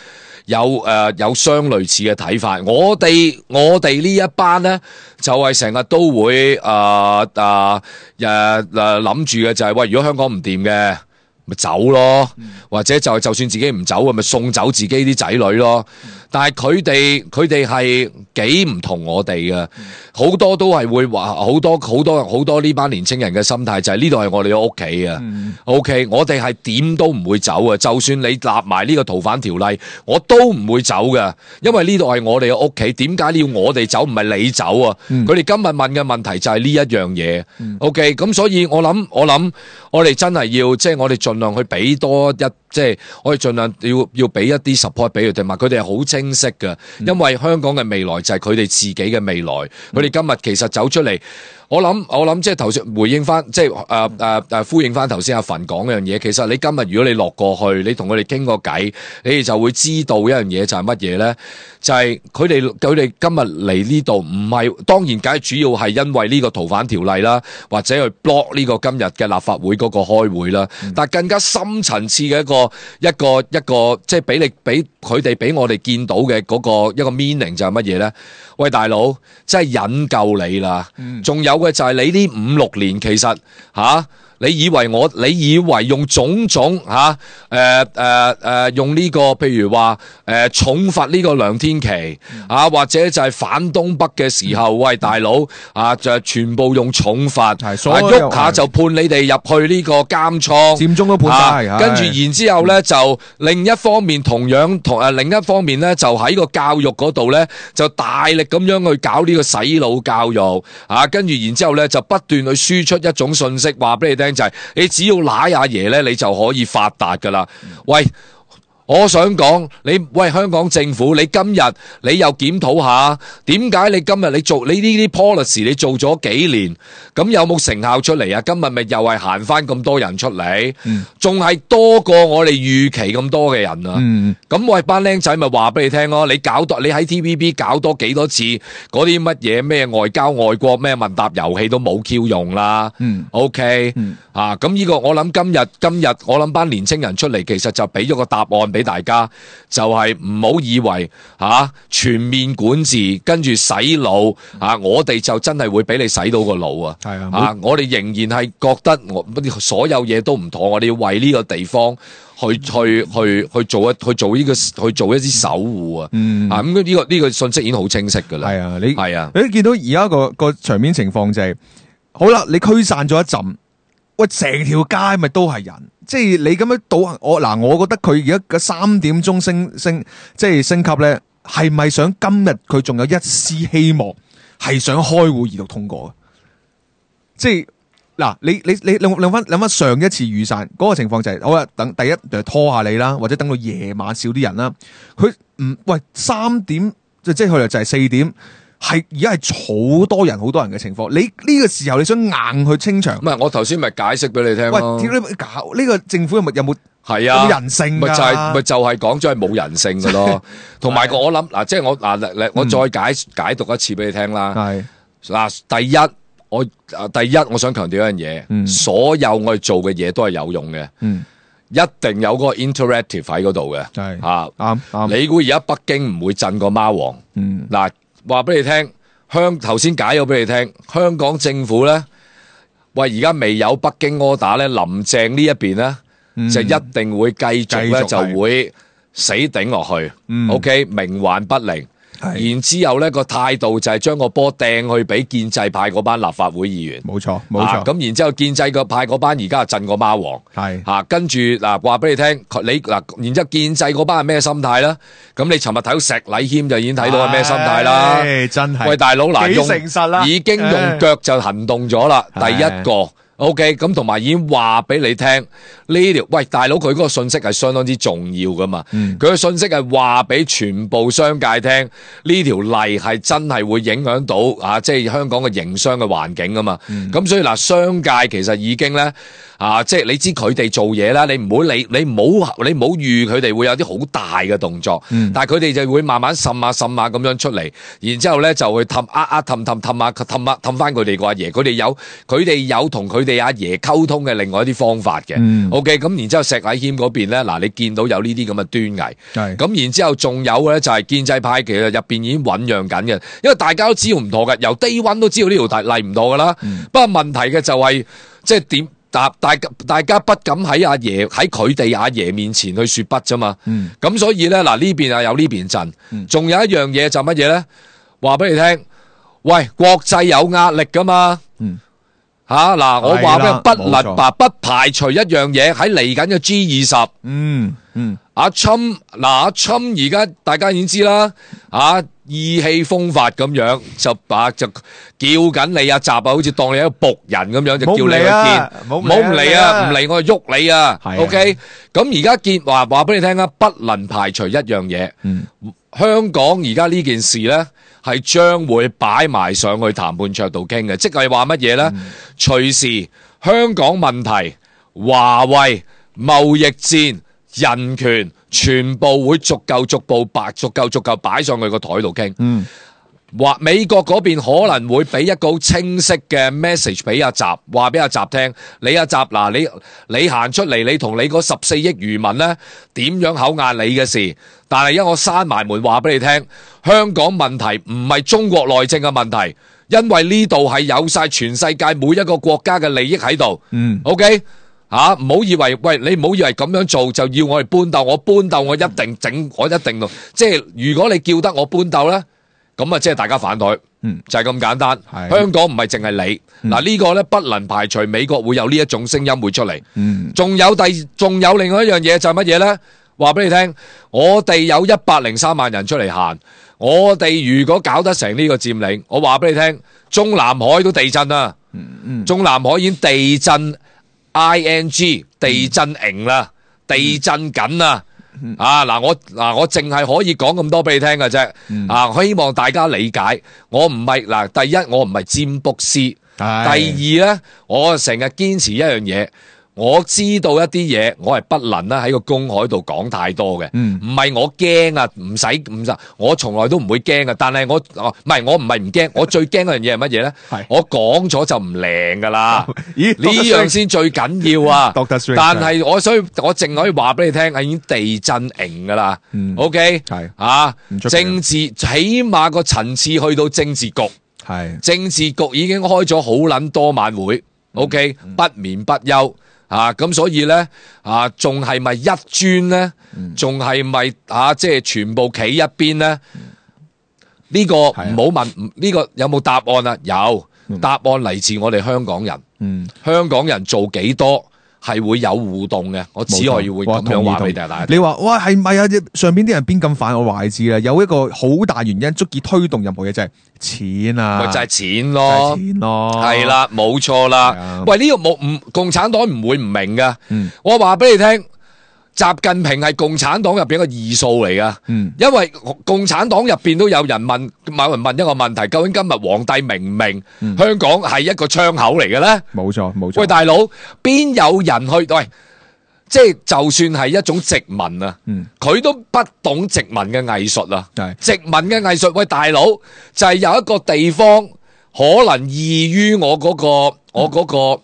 有誒、呃、有相相類似嘅睇法。我哋我哋呢一班咧，就係成日都會誒誒誒誒諗住嘅就係、是、喂，如果香港唔掂嘅，咪走咯，嗯、或者就就算自己唔走嘅，咪送走自己啲仔女咯。但係佢哋佢哋係幾唔同我哋嘅，好、嗯、多都係會話，好多好多好多呢班年青人嘅心態就係呢度係我哋嘅屋企啊。嗯、OK，我哋係點都唔會走啊，就算你立埋呢個逃犯條例，我都唔會走嘅，因為呢度係我哋嘅屋企。點解你要我哋走，唔係你走啊？佢哋、嗯、今日問嘅問題就係呢一樣嘢。嗯、OK，咁所以我諗我諗我哋真係要即係、就是、我哋盡量去俾多一。即係我哋盡量要要俾一啲 support 俾佢哋，同埋佢哋係好清晰嘅，因為香港嘅未來就係佢哋自己嘅未來。佢哋今日其實走出嚟，我諗我諗即係頭先回應翻，即係誒誒誒呼應翻頭先阿馮講嗰樣嘢。其實你今日如果你落過去，你同佢哋傾個偈，你哋就會知道一樣嘢就係乜嘢咧？就係佢哋佢哋今日嚟呢度唔係，當然梗係主要係因為呢個逃犯條例啦，或者去 block 呢個今日嘅立法會嗰個開會啦。嗯、但係更加深層次嘅一個一個一個即係俾你俾佢哋俾我哋見到嘅嗰個一個 meaning 就係乜嘢咧？喂，大佬，真係引夠你啦！仲、嗯、有嘅就係你呢五六年其實吓。啊你以為我？你以為用種種嚇誒誒誒用呢、這個譬如話誒、呃、重罰呢個梁天琦啊，或者就係反東北嘅時候，喂大佬啊，就全部用重罰，喐下就判你哋入去呢個監倉，佔中都判晒、啊。跟住然之後咧，就另一方面同樣同誒、啊、另一方面咧，就喺個教育嗰度咧，就大力咁樣去搞呢個洗腦教育啊，跟住然之後咧，就不斷去輸出一種信息，話俾你聽。就係你只要揦阿爺咧，你就可以發達噶啦。喂，我想講你，喂香港政府，你今日你又檢討下，點解你今日你做你呢啲 policy 你做咗幾年，咁有冇成效出嚟啊？今日咪又係行翻咁多人出嚟，仲係、嗯、多過我哋預期咁多嘅人啊！咁、嗯、喂班僆仔咪話俾你聽咯，你搞多你喺 T V B 搞多幾多次嗰啲乜嘢咩外交外國咩問答遊戲都冇 Q 用啦。嗯、OK、嗯、啊，咁呢個我諗今日今日我諗班年青人出嚟，其實就俾咗個答案俾大家，就係唔好以為吓、啊、全面管治跟住洗腦啊，我哋就真係會俾你洗到個腦啊！係啊，啊我哋仍然係覺得我所有嘢都唔妥，我哋要為呢個地方去去去去做一去做呢、這個去做一啲守護啊！嗯、啊咁呢、這個呢、這個信息已經好清晰噶啦。係啊，你係啊，你見到而家個個場面情況就係、是、好啦，你驅散咗一陣，喂，成條街咪都係人。即係你咁樣倒我嗱，我覺得佢而家嘅三點鐘升升即係升級咧，係咪想今日佢仲有一絲希望，係想開會二讀通過？即係嗱，你你你諗諗翻諗翻上一次雨傘嗰個情況就係、是，好啦，等第一就拖下你啦，或者等到夜晚少啲人啦。佢唔喂三點即即係佢就係四點。係而家係好多人好多人嘅情況，你呢個時候你想硬去清場？唔係，我頭先咪解釋俾你聽咯。喂，點解搞呢個政府有冇有冇係啊？有冇人性？咪就係咪就係講咗係冇人性嘅咯。同埋我諗嗱，即係我嗱，我再解解讀一次俾你聽啦。係嗱，第一我第一我想強調一樣嘢，所有我哋做嘅嘢都係有用嘅。嗯。一定有嗰個 interactive 喺嗰度嘅。係啊，啱啱。你估而家北京唔會震個貓王？嗯。嗱。話俾你聽，香頭先解咗俾你聽，香港政府咧，喂而家未有北京柯打咧，林鄭呢一邊咧，嗯、就一定會繼續咧，就會死頂落去。嗯、OK，冥頑不靈。然之後咧個態度就係將個波掟去俾建制派嗰班立法會議員，冇錯冇錯。咁、啊、然之後建制個派嗰班而家係震個貓王，係吓跟住嗱話俾你聽，你嗱然之後建制嗰班係咩心態啦？咁你尋日睇到石禮謙就已經睇到係咩心態啦？真係喂大佬嗱，用誠實啦，已經用腳就行動咗啦，第一個。OK，咁同埋已經話俾你聽呢條，喂大佬佢嗰個信息係相當之重要噶嘛，佢嘅、嗯、信息係話俾全部商界聽，呢條例係真係會影響到啊，即係香港嘅營商嘅環境啊嘛，咁、嗯、所以嗱，商界其實已經咧啊，即係你知佢哋做嘢啦，你唔好理，你唔好你唔好預佢哋會有啲好大嘅動作，嗯、但係佢哋就會慢慢滲下滲下咁樣出嚟，然之後咧就會氹呃呃氹氹氹下氹下氹翻佢哋個阿爺，佢哋有佢哋有同佢哋阿爺溝通嘅另外一啲方法嘅。嗯、OK， 咁然之後石禮謙嗰邊咧，嗱你見到有呢啲咁嘅端倪，係咁然之後仲有咧就係建制派其實入邊已經醞釀緊嘅，因為大家都知道唔妥嘅，由 day one 都知道呢條例唔妥噶啦。嗯、不過問題嘅就係即係點？大大大家不敢喺阿爺喺佢哋阿爺面前去說不啫嘛，咁、嗯、所以咧嗱呢邊啊有呢邊陣，仲、嗯、有一樣嘢就乜嘢咧？話俾你聽，喂，國際有壓力噶嘛，吓嗱、啊，我話俾你不能吧，不排除一樣嘢喺嚟緊嘅 G 二十，嗯嗯，阿侵嗱阿侵而家大家已經知啦，啊。意氣風發咁樣就把就叫緊你阿習啊，好似當你一個僕人咁樣就叫你去見，唔好唔嚟啊，唔嚟我就喐你啊。OK，咁而家見話話俾你聽啊，不能排除一樣嘢。嗯，香港而家呢件事咧係將會擺埋上去談判桌度傾嘅，即係話乜嘢咧？嗯、隨時香港問題、華為、貿易戰、人權。全部會逐夠逐步擺，逐夠逐夠擺上去個台度傾。嗯，話美國嗰邊可能會俾一個好清晰嘅 message 俾阿習，話俾阿習聽，你阿習嗱，你你行出嚟，你同你嗰十四億漁民咧點樣口壓你嘅事？但係因為我閂埋門話俾你聽，香港問題唔係中國內政嘅問題，因為呢度係有晒全世界每一個國家嘅利益喺度。嗯 ，OK。吓，唔好以為喂，你唔好以為咁樣做就要我哋搬鬥，我搬鬥我一定整，我一定咯。即係如果你叫得我搬鬥咧，咁啊即係大家反台，嗯，就係咁簡單。香港唔係淨係你，嗱、嗯、呢個咧不能排除美國會有呢一種聲音會出嚟。嗯，仲有第，仲有另外一樣嘢就係乜嘢咧？話俾你聽，我哋有一百零三萬人出嚟行，我哋如果搞得成呢個佔領，我話俾你聽，中南海都地震啦，嗯嗯，中南海已經地震。I N G 地震營啦，嗯、地震緊啦，嗯、啊嗱我嗱我淨係可以講咁多俾你聽嘅啫，嗯、啊我希望大家理解，我唔係嗱第一我唔係占卜師，哎、第二咧我成日堅持一樣嘢。我知道一啲嘢，我係不能咧喺個公海度講太多嘅，唔係、嗯、我驚啊，唔使唔使，我從來都唔會驚嘅。但係我唔係我唔係唔驚，我最驚嗰樣嘢係乜嘢咧？是我講咗就唔靈噶啦，咦？呢樣先最緊要啊！但係我所以我淨可以話俾你聽，係已經地震營噶啦。嗯、OK 係啊，政治起碼個層次去到政治局，係是政治局已經開咗好撚多晚會。OK、嗯、不眠不休。啊，咁所以咧，啊，仲係咪一尊咧？仲係咪啊？即係全部企一邊咧？呢個唔好問，呢個有冇答案啊？有，答案嚟自我哋香港人。嗯，香港人做幾多係會有互動嘅？我只可以會咁樣話俾大家。你話哇係咪啊？上邊啲人邊咁反？我話你知啦，有一個好大原因足以推動任何嘢就係錢啊，咪就係錢咯，錢咯，係啦，冇錯啦。喂，呢個冇唔共產黨唔會唔明噶。嗯，我話俾你聽。習近平係共產黨入邊一個異數嚟噶，嗯、因為共產黨入邊都有人問，某人問一個問題，究竟今日皇帝明唔明、嗯、香港係一個窗口嚟嘅咧？冇錯冇錯。喂，大佬，邊有人去？喂，即係就算係一種殖民啊，佢、嗯、都不懂殖民嘅藝術啊。是殖民嘅藝術，喂，大佬就係、是、有一個地方可能異於我嗰、那個，我嗰、那個。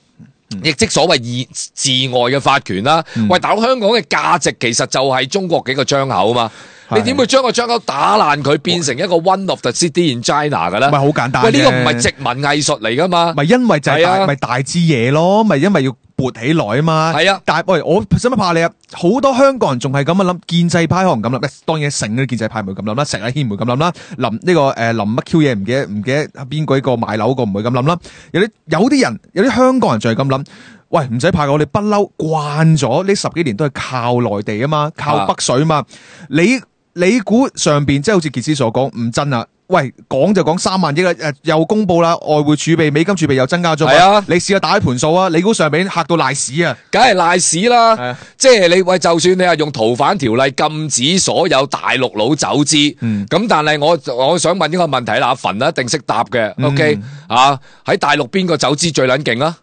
亦即所謂以治外嘅法權啦，嗯、喂，大佬，香港嘅價值其實就係中國幾個窗口啊嘛，是你點會將個窗口打爛佢，變成一個 one of the city in China 嘅咧？咪好簡單，喂，呢、這個唔係殖民藝術嚟噶嘛？咪因為就係大咪、啊、大支嘢咯，咪因為要撥起來啊嘛。係啊，但係喂，我使乜怕你啊？好多香港人仲係咁樣諗，建制派可能咁諗，當然成啲建制派唔會咁諗啦，石禮謙唔會咁諗啦，林呢、這個誒、呃、林乜 Q 嘢唔記得唔記得邊鬼個買樓個唔會咁諗啦。有啲有啲人有啲香港人就係咁諗。喂，唔使怕，我哋不嬲慣咗呢十幾年都係靠內地啊嘛，靠北水啊嘛。你你估上邊即係好似傑斯所講唔真啊？喂，講就講三萬億啦，誒又公布啦，外匯儲備、美金儲備又增加咗。係啊，你試下打啲盤數啊，你估上邊嚇到賴屎啊？梗係賴屎啦！啊、即係你喂，就算你係用逃犯條例禁止所有大陸佬走資，咁、嗯、但係我我想問呢個問題啦，阿馮一定識答嘅。嗯、OK 啊，喺大陸邊個走資最撚勁啊？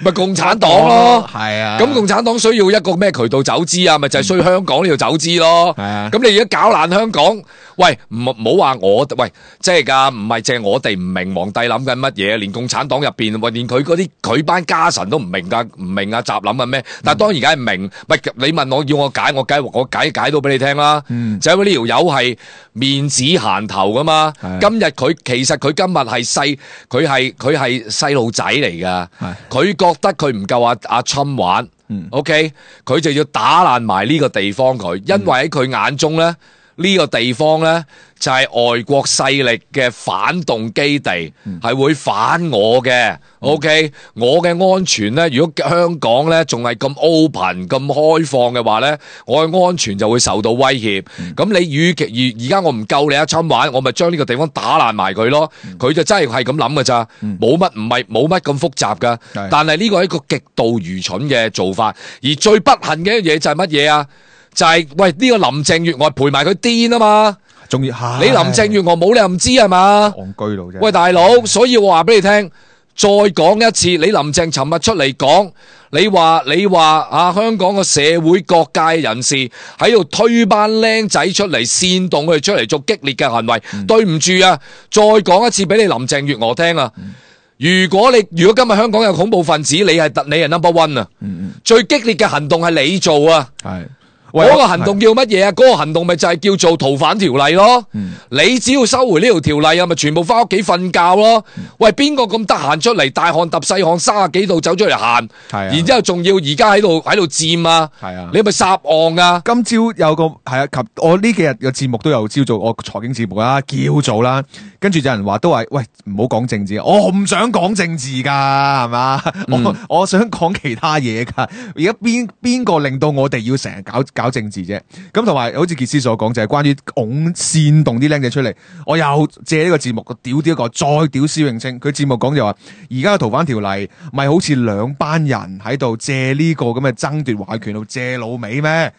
咪共產黨咯，係啊。咁共產黨需要一個咩渠道走資啊？咪就係、是、需要香港呢度走資咯。係啊。咁你而家搞爛香港，喂，唔唔好話我，喂，即係㗎，唔係淨係我哋唔明皇帝諗緊乜嘢，連共產黨入邊，喂，連佢嗰啲佢班家臣都唔明㗎，唔明啊，習諗緊咩？但係當然梗係明，喂，你問我要我解，我解我解解到俾你聽啦。嗯、就因為呢條友係面子閒頭㗎嘛。今日佢其實佢今日係細，佢係佢係細路仔嚟㗎。佢覺得佢唔夠阿阿侵玩。嗯、OK， 佢就要打爛埋呢個地方佢，因為喺佢眼中咧，呢、這個地方咧就係、是、外國勢力嘅反動基地，係、嗯、會反我嘅。OK，、嗯、我嘅安全咧，如果香港咧仲係咁 open 咁開放嘅話咧，我嘅安全就會受到威脅。咁、嗯、你與其而而家我唔夠你阿侵玩，我咪將呢個地方打爛埋佢咯。佢、嗯、就真係係咁諗㗎咋，冇乜唔係冇乜咁複雜噶。嗯、但係呢個係一個極度愚蠢嘅做法，而最不幸嘅一樣嘢就係乜嘢啊？就係、是、喂呢、這個林鄭月娥陪埋佢癲啊嘛，仲要你林鄭月娥冇你又唔知係嘛？戇居佬啫。喂大佬，所以我話俾你聽，再講一次，你林鄭尋日出嚟講，你話你話啊香港嘅社會各界人士喺度推班僆仔出嚟煽動佢哋出嚟做激烈嘅行為，嗯、對唔住啊！再講一次俾你林鄭月娥聽啊！嗯、如果你如果今日香港有恐怖分子，你係你係 number one 啊！嗯嗯、最激烈嘅行動係你做啊！係。嗰個行動叫乜嘢啊？嗰個行動咪就係叫做逃犯條例咯。嗯、你只要收回呢條條例啊，咪全部翻屋企瞓覺咯。嗯、喂，邊個咁得閒出嚟大汗揼細汗三十幾度走出嚟行？係啊，然之後仲要而家喺度喺度佔啊？係啊，你咪撒案啊？今朝有個係啊，及我呢幾日嘅節目都有朝做我財經節目啦，叫做啦。跟住有人話都話喂，唔好講政治，我唔想講政治噶，係嘛？嗯、我我想講其他嘢噶。而家邊邊個令到我哋要成日搞搞政治啫？咁同埋好似傑斯所講，就係、是、關於拱煽動啲僆仔出嚟。我又借呢個節目屌屌一個，再屌施永青。佢節目講就話，而家嘅逃犯條例咪好似兩班人喺度借呢個咁嘅爭奪話語權度借老味咩？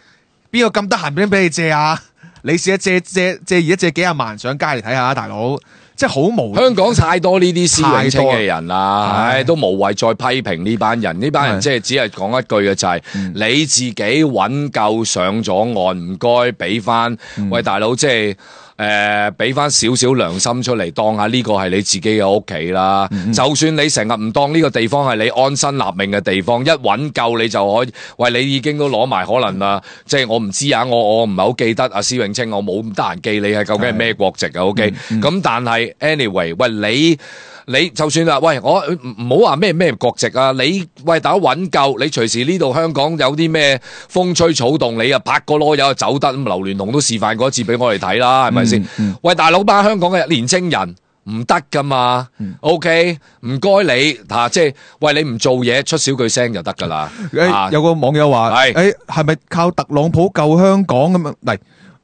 邊個咁得閒俾俾你借啊？你試下借借借而家借幾廿萬上街嚟睇下，大佬，即係好無。香港太多呢啲施永青嘅人啦，唉，都無謂再批評呢班人。呢班人即係只係講一句嘅就係、是，嗯、你自己揾夠上咗岸，唔該俾翻，嗯、喂大佬，即係。誒，俾翻少少良心出嚟，當下呢個係你自己嘅屋企啦。嗯、就算你成日唔當呢個地方係你安身立命嘅地方，一揾夠你就可以。喂，你已經都攞埋可能啦。即係我唔知啊，我我唔係好記得阿施永青，我冇咁得閒記你係究竟係咩國籍啊。O K，咁但係 anyway，喂你。你就算話，喂，我唔好話咩咩國籍啊！你喂大家揾夠，你隨時呢度香港有啲咩風吹草動，你啊拍個籮柚就走得。咁劉鑾雄都示範過一次俾我哋睇啦，係咪先？嗯嗯、喂，大佬班香港嘅年青人唔得噶嘛、嗯、？OK， 唔該你嚇、啊，即係喂你唔做嘢出少句聲就得噶啦。誒、啊，有個網友話：誒係，係咪靠特朗普救香港咁樣嚟？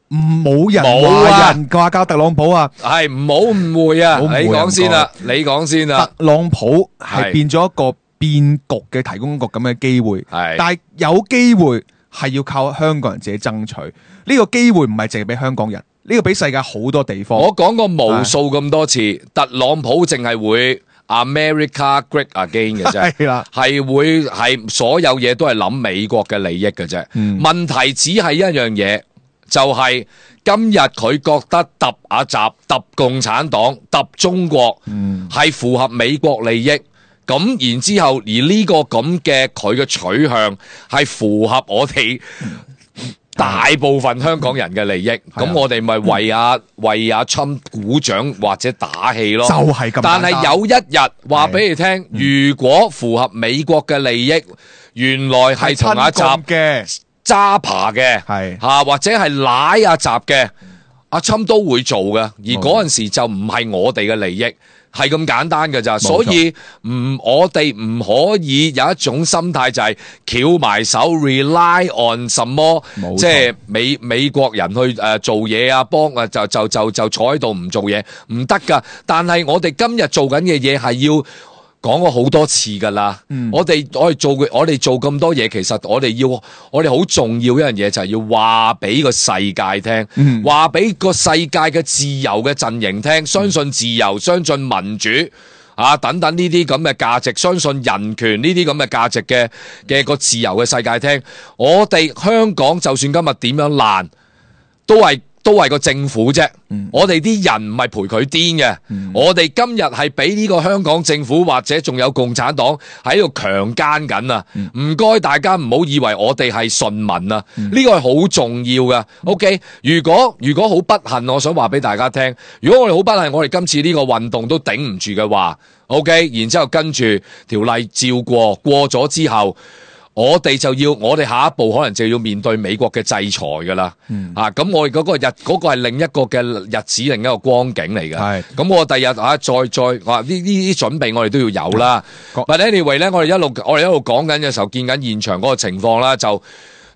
冇人話人話教特朗普啊，係唔好誤會啊！你講先啦，你講先啦。特朗普係變咗一個變局嘅提供局咁嘅機會，係，但係有機會係要靠香港人自己爭取。呢個機會唔係淨係俾香港人，呢個俾世界好多地方。我講過無數咁多次，特朗普淨係會 America Great Again 嘅啫，係啦，係會係所有嘢都係諗美國嘅利益嘅啫。問題只係一樣嘢。就係今日佢覺得揼阿習揼共產黨揼中國係符合美國利益，咁然之後而呢個咁嘅佢嘅取向係符合我哋大部分香港人嘅利益，咁我哋咪為阿為阿侵鼓掌或者打氣咯。就係咁。但係有一日話俾你聽，如果符合美國嘅利益，原來係同阿習嘅。揸扒嘅，係吓或者係奶阿習嘅，阿侵都會做嘅，而嗰陣時就唔係我哋嘅利益，係咁簡單嘅咋，所以唔我哋唔可以有一種心態就係翹埋手 rely on 什麼，即係美美國人去誒、呃、做嘢啊，幫啊就就就就坐喺度唔做嘢唔得噶，但係我哋今日做緊嘅嘢係要。講過好多次噶啦，嗯、我哋我哋做我哋做咁多嘢，其實我哋要我哋好重要一樣嘢就係要話俾個世界聽，話俾個世界嘅自由嘅陣營聽，相信自由，相信民主。啊等等呢啲咁嘅價值，相信人權呢啲咁嘅價值嘅嘅個自由嘅世界聽，我哋香港就算今日點樣爛，都係。都係個政府啫，嗯、我哋啲人唔係陪佢癲嘅，嗯、我哋今日係俾呢個香港政府或者仲有共產黨喺度強姦緊啊！唔該、嗯、大家唔好以為我哋係順民啊，呢、嗯、個係好重要噶。OK， 如果如果好不幸，我想話俾大家聽，如果我哋好不幸，我哋今次呢個運動都頂唔住嘅話 ，OK， 然之後跟住條例照過，過咗之後。我哋就要，我哋下一步可能就要面對美國嘅制裁噶啦，嗯、啊，咁我哋嗰個日嗰、嗰個係另一個嘅日子，另一個光景嚟嘅。係，咁我第日啊，再再話呢呢啲準備，我哋都要有啦。But anyway 咧，我哋一路我哋一路講緊嘅時候，見緊現場嗰個情況啦，就。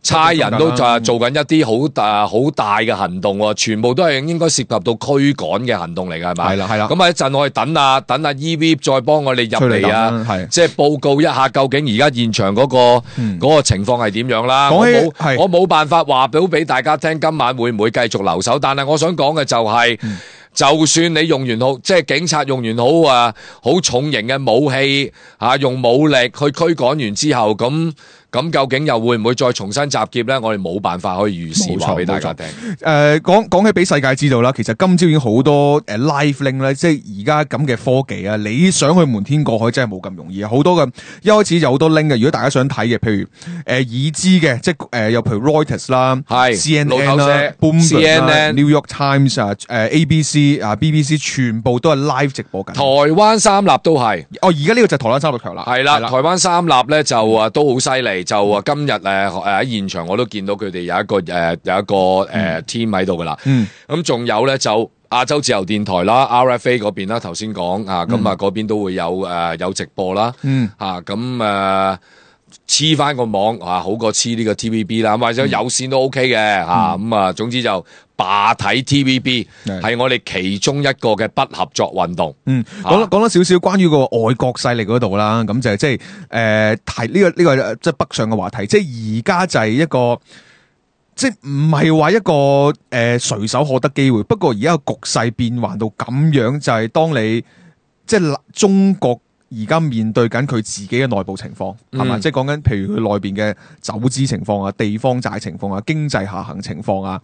差人都就係做緊一啲好大好大嘅行動喎，全部都係應該涉及到驅趕嘅行動嚟㗎，係咪？係啦，係啦。咁啊一陣我哋等啊等啊 E V 再幫我哋入嚟啊，即係報告一下究竟而家現場嗰、嗰個嗰、嗯、個情況係點樣啦。我冇我冇辦法話到俾大家聽，今晚會唔會繼續留守？但係我想講嘅就係、係。嗯就算你用完好，即係警察用完好啊，好重型嘅武器啊，用武力去驅趕完之後，咁咁究竟又會唔會再重新集結咧？我哋冇辦法可以預示話俾大家聽。誒，講講起俾世界知道啦，其實今朝已經好多誒 live link 咧，即係而家咁嘅科技啊，你想去瞞天過海真係冇咁容易啊！好多嘅一開始有好多 link 嘅，如果大家想睇嘅，譬如誒、呃、已知嘅，即係誒又譬如 Reuters 啦，係 C N N 啦 Bloomberg 啦 New York Times 啊，誒 A B C。啊 B B C 全部都係 live 直播緊，台灣三立都係。哦，而家呢個就係台灣三立強啦。係啦，台灣三立咧就啊都好犀利，就啊今日誒誒喺現場我都見到佢哋有一個誒、呃、有一個誒、呃、team 喺度噶啦。嗯，咁仲有咧就亞洲自由電台啦 R F A 嗰邊啦，頭先講啊，咁啊嗰邊都會有誒、呃、有直播啦。嗯，啊咁誒黐翻個網啊，好過黐呢個 T V B 啦，或者有線都 OK 嘅嚇。咁啊，總之就。罷睇 T V B 係我哋其中一個嘅不合作運動。嗯，講講多少少關於個外國勢力嗰度啦，咁就係即係誒提呢個呢個即係北上嘅話題。即係而家就係一個即係唔係話一個誒隨手可得機會。不過而家個局勢變幻到咁樣，就係當你即係中國而家面對緊佢自己嘅內部情況，係嘛？即係講緊譬如佢內邊嘅走資情況啊、地方債情況啊、經濟下行情況啊。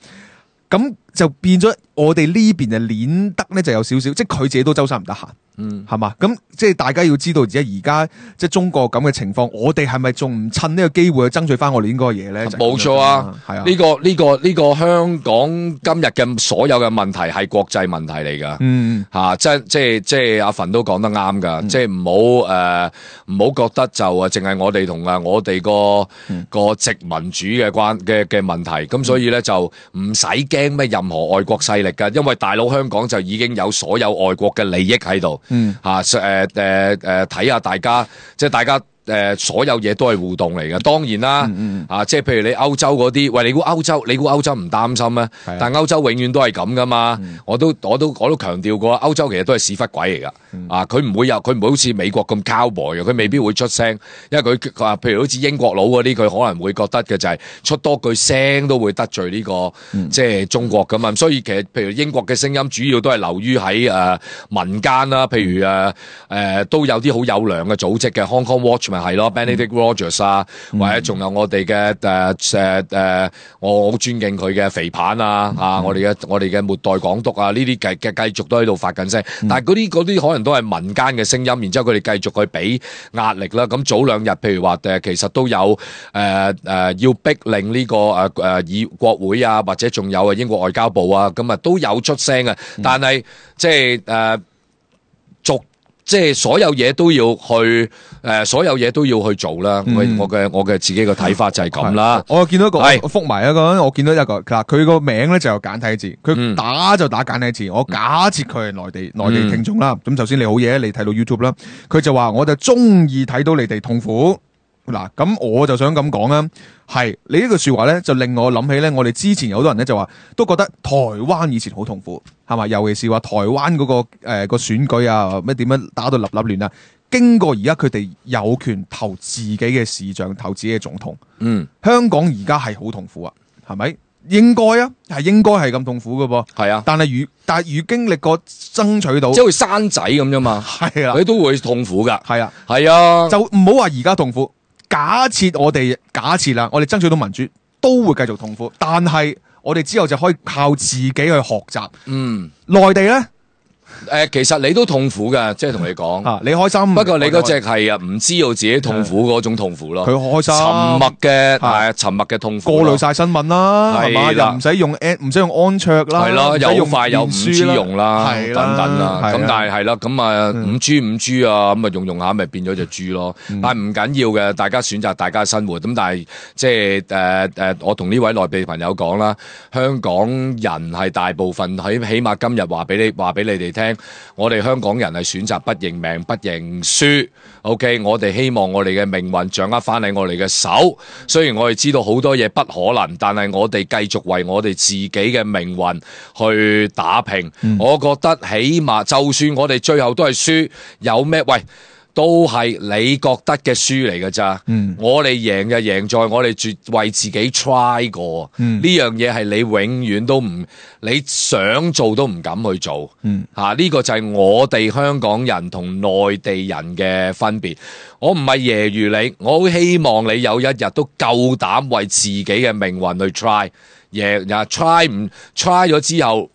咁就變咗我哋呢邊就鏈得咧，就有少少，即係佢自己都周身唔得閒，嗯，係嘛？咁即係大家要知道，而家而家即係中國咁嘅情況，我哋係咪仲唔趁呢個機會去爭取翻我哋應該嘅嘢咧？冇錯啊，係啊，呢個呢個呢個香港今日嘅所有嘅問題係國際問題嚟噶，嗯吓，即係即係即係阿馮都講得啱噶，即係唔好誒唔好覺得就啊淨係我哋同啊我哋個個殖民主嘅關嘅嘅問題，咁所以咧就唔使驚咩任何外國勢力噶，因為大佬香港就已經有所有外國嘅利益喺度，嗯吓誒誒誒睇下大家即係大家。誒、呃，所有嘢都係互動嚟嘅，當然啦，嗯嗯啊，即係譬如你歐洲嗰啲，喂，你估歐洲，你估歐洲唔擔心咩？的但歐洲永遠都係咁噶嘛，嗯、我都我都我都強調過，歐洲其實都係屎忽鬼嚟噶，嗯、啊，佢唔會有，佢唔會好似美國咁 cowboy 嘅，佢未必會出聲，因為佢話，譬如好似英國佬嗰啲，佢可能會覺得嘅就係出多句聲都會得罪呢、這個，嗯、即係中國噶嘛，所以其實譬如英國嘅聲音主要都係流於喺誒民間啦，譬如誒誒、呃呃、都有啲好有良嘅組織嘅 Hong Kong Watch。咪係咯 ，Benedict Rogers 啊，嗯、或者仲有我哋嘅誒誒誒，我好尊敬佢嘅肥棒啊，嗯、啊，我哋嘅我哋嘅末代港督啊，呢啲繼嘅繼續都喺度發緊聲，嗯、但係嗰啲嗰啲可能都係民間嘅聲音，然之後佢哋繼續去俾壓力啦。咁早兩日，譬如話誒，其實都有誒誒、呃呃、要逼令呢、這個誒誒議國會啊，或者仲有啊英國外交部啊，咁啊都有出聲嘅，但係即係誒。呃逐即係所有嘢都要去，誒、呃，所有嘢都要去做啦。嗯、我嘅我嘅自己嘅睇法就係咁啦。我見到一個，是我覆埋一個，我見到一個，嗱，佢個名咧就有簡體字，佢打就打簡體字。嗯、我假設佢係內地內地聽眾啦。咁、嗯、首先你好嘢，你睇到 YouTube 啦，佢就話我就中意睇到你哋痛苦。嗱，咁我就想咁講啦，係你呢句說話咧，就令我諗起咧，我哋之前有好多人咧就話，都覺得台灣以前好痛苦，係嘛？尤其是話台灣嗰、那個誒、呃、個選舉啊，咩點樣打到立立亂啊？經過而家佢哋有權投自己嘅市長，投自己嘅總統，嗯，香港而家係好痛苦啊，係咪？應該啊，係應該係咁痛苦嘅噃。係啊，但係如但係如經歷過爭取到，即係好似生仔咁啫嘛。係啊，佢都會痛苦噶。係啊，係啊，就唔好話而家痛苦。假設我哋假設啦，我哋爭取到民主，都會繼續痛苦。但係我哋之後就可以靠自己去學習。嗯，內地咧。誒、呃，其實你都痛苦噶，即係同你講、啊，你開心。不過你嗰隻係啊，唔知道自己痛苦嗰種痛苦咯。佢開心，沉默嘅係沉默嘅痛苦。過濾晒新聞啦，係嘛？又唔使用安，唔使用安卓啦，係咯，又快有五 G 啦用啦，係等等啦。咁係但係係啦，咁啊五 G 五 G 啊，咁啊用用下咪變咗隻豬咯。但係唔緊要嘅，大家選擇大家生活。咁但係即係誒誒，我同呢位內地朋友講啦，香港人係大部分喺起碼今日話俾你話俾你哋聽，我哋。香港人係選擇不認命、不認輸。OK， 我哋希望我哋嘅命運掌握翻喺我哋嘅手。雖然我哋知道好多嘢不可能，但係我哋繼續為我哋自己嘅命運去打拼。嗯、我覺得起碼就算我哋最後都係輸，有咩喂？都係你覺得嘅輸嚟㗎咋？嗯、我哋贏就贏在我哋絕為自己 try 過。呢樣嘢係你永遠都唔，你想做都唔敢去做。嚇、嗯，呢、啊呢個就係我哋香港人同內地人嘅分別。我唔係揶揄你，我好希望你有一日都夠膽為自己嘅命運去 try。贏呀 try 唔 try 咗之後。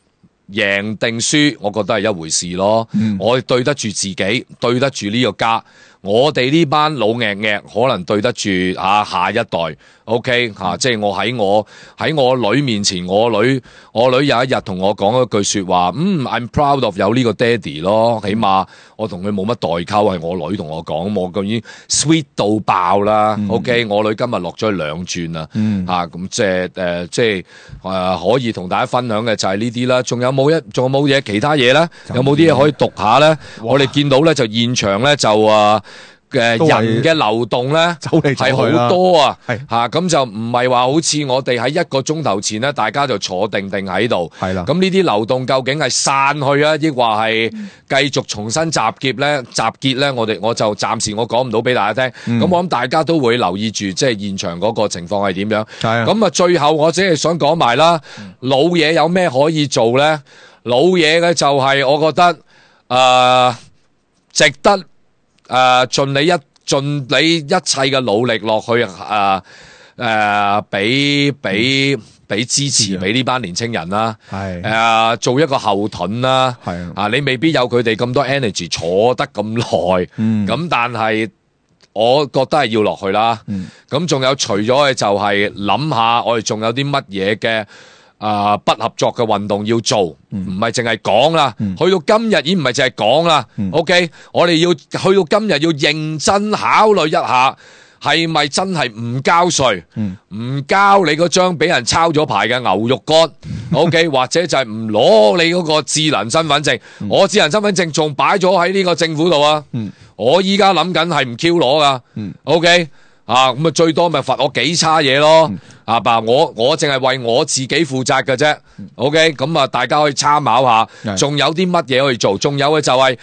贏定輸，我覺得係一回事咯。嗯、我對得住自己，對得住呢個家。我哋呢班老硬硬可能對得住啊下一代。OK 吓、啊，即係我喺我喺我女面前，我女我女有一日同我講一句說話，嗯 I'm proud of 有呢個爹哋咯，起碼我同佢冇乜代溝，係我女同我講，我咁已經 sweet 到爆啦。嗯、OK， 我女今日落咗去兩轉啦，吓咁、嗯啊、即係誒、呃、即係誒、呃、可以同大家分享嘅就係呢啲啦。仲有冇一仲有冇嘢其他嘢咧？有冇啲嘢可以讀下咧？哇我哋見到咧就現場咧就啊。嘅人嘅流動咧，係好多啊，嚇咁就唔係話好似我哋喺一個鐘頭前咧，大家就坐定定喺度，係啦。咁呢啲流動究竟係散去啊，抑或係繼續重新集結咧？集結咧，我哋我就暫時我講唔到俾大家聽。咁我諗大家都會留意住，即係現場嗰個情況係點樣。咁啊，最後我只係想講埋啦，老嘢有咩可以做咧？老嘢嘅就係我覺得誒值得。誒、呃，盡你一盡你一切嘅努力落去，誒、呃、誒，俾俾俾支持俾呢班年青人啦，係誒、呃、做一個後盾啦，係啊，你未必有佢哋咁多 energy 坐得咁耐，咁、嗯、但係我覺得係要落去啦，咁仲、嗯、有除咗嘅就係諗下我哋仲有啲乜嘢嘅。啊、呃！不合作嘅運動要做，唔係淨係講啦。嗯、去到今日已經唔係淨係講啦。嗯、OK，我哋要去到今日要認真考慮一下，係咪真係唔交稅？唔、嗯、交你嗰張俾人抄咗牌嘅牛肉乾。OK，或者就係唔攞你嗰個智能身份證。嗯、我智能身份證仲擺咗喺呢個政府度啊。嗯、我依家諗緊係唔 Q 攞噶。嗯、OK。啊，咁啊最多咪罰我幾叉嘢咯，嗯、啊爸，我我淨係為我自己負責嘅啫、嗯、，OK，咁啊大家可以參考下，仲、嗯、有啲乜嘢可以做？仲有嘅就係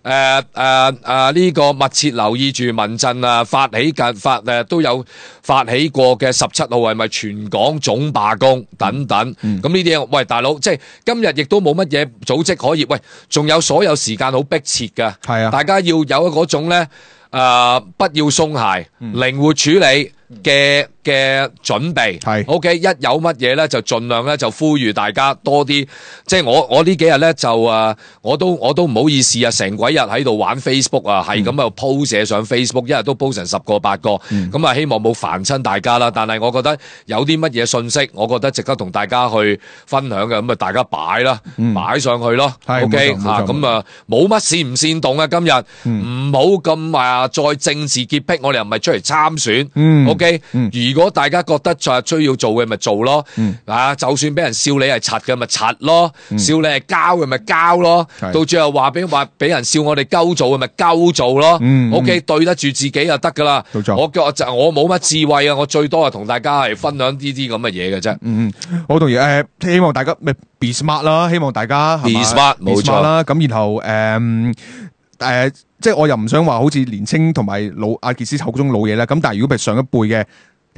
誒誒誒呢個密切留意住民陣啊發起嘅發誒、啊、都有發起過嘅十七號係咪全港總罷工等等，咁呢啲嘢，喂大佬，即係今日亦都冇乜嘢組織可以，喂，仲有所有時間好迫切嘅，係啊，大家要有嗰種咧。誒、呃，不要鬆懈，靈、嗯、活處理嘅嘅準備係 OK，一有乜嘢咧就盡量咧就呼籲大家多啲，即係我我呢幾日咧就誒、呃，我都我都唔好意思啊，成鬼日喺度玩 Facebook 啊，係咁喺度 po 寫上 Facebook，一日都 po 成十個八個，咁啊、嗯、希望冇煩親大家啦。但係我覺得有啲乜嘢信息，我覺得值得同大家去分享嘅，咁啊大家擺啦，擺、嗯、上去咯。OK 吓，咁啊冇乜煽唔煽動啊，今日唔好咁啊再政治潔癖，我哋又唔係出嚟參選。嗯 OK，、嗯、如果大家覺得就係需要做嘅咪做咯，嗯、啊，就算俾人笑你係柒嘅咪柒咯，嗯、笑你係膠嘅咪膠咯，是到最後話俾話俾人笑我哋鳩做嘅咪鳩做咯。嗯、OK，、嗯、對得住自己就得噶啦。錯我我我冇乜智慧啊，我最多係同大家係分享呢啲咁嘅嘢嘅啫。嗯嗯，好同意誒，希望大家咪 be smart 啦，希望大家 be smart 冇錯啦。咁然後誒誒。嗯呃即係我又唔想話好似年青同埋老阿傑斯口中老嘢啦，咁但係如果譬如上一輩嘅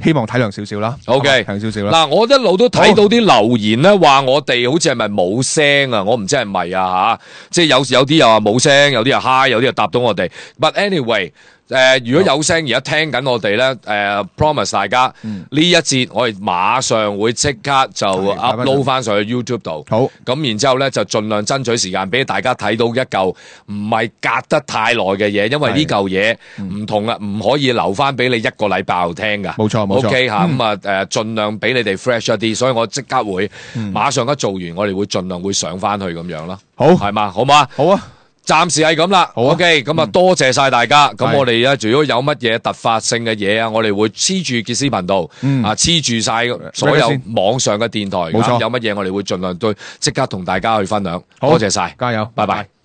希望體諒少少啦。 OK 體諒少少啦。嗱，我一路都睇到啲留言咧，話我哋好似係咪冇聲啊？我唔知係咪啊吓，即係有有啲又話冇聲，有啲又 hi，有啲又答到我哋。But anyway。誒、呃，如果有聲而家聽緊我哋咧，誒、呃、，promise 大家呢、嗯、一節我哋馬上會即刻就 upload 翻上去 YouTube 度。好，咁然之後咧就盡量爭取時間俾大家睇到一嚿唔係隔得太耐嘅嘢，因為呢嚿嘢唔同啊，唔可以留翻俾你一個禮拜後聽噶。冇錯冇錯。OK 吓，咁啊誒，盡量俾你哋 fresh 一啲，所以我即刻會、嗯、馬上一做完，我哋會盡量會上翻去咁樣咯。好，係嘛，好嘛，好啊。暫時係咁啦 ，OK，咁啊多謝晒大家。咁、嗯、我哋咧，如果有乜嘢突發性嘅嘢啊，我哋會黐住傑斯頻道，嗯、啊黐住晒所有網上嘅電台。冇錯，有乜嘢我哋會盡量對即刻同大家去分享。多謝晒，加油，拜拜。拜拜。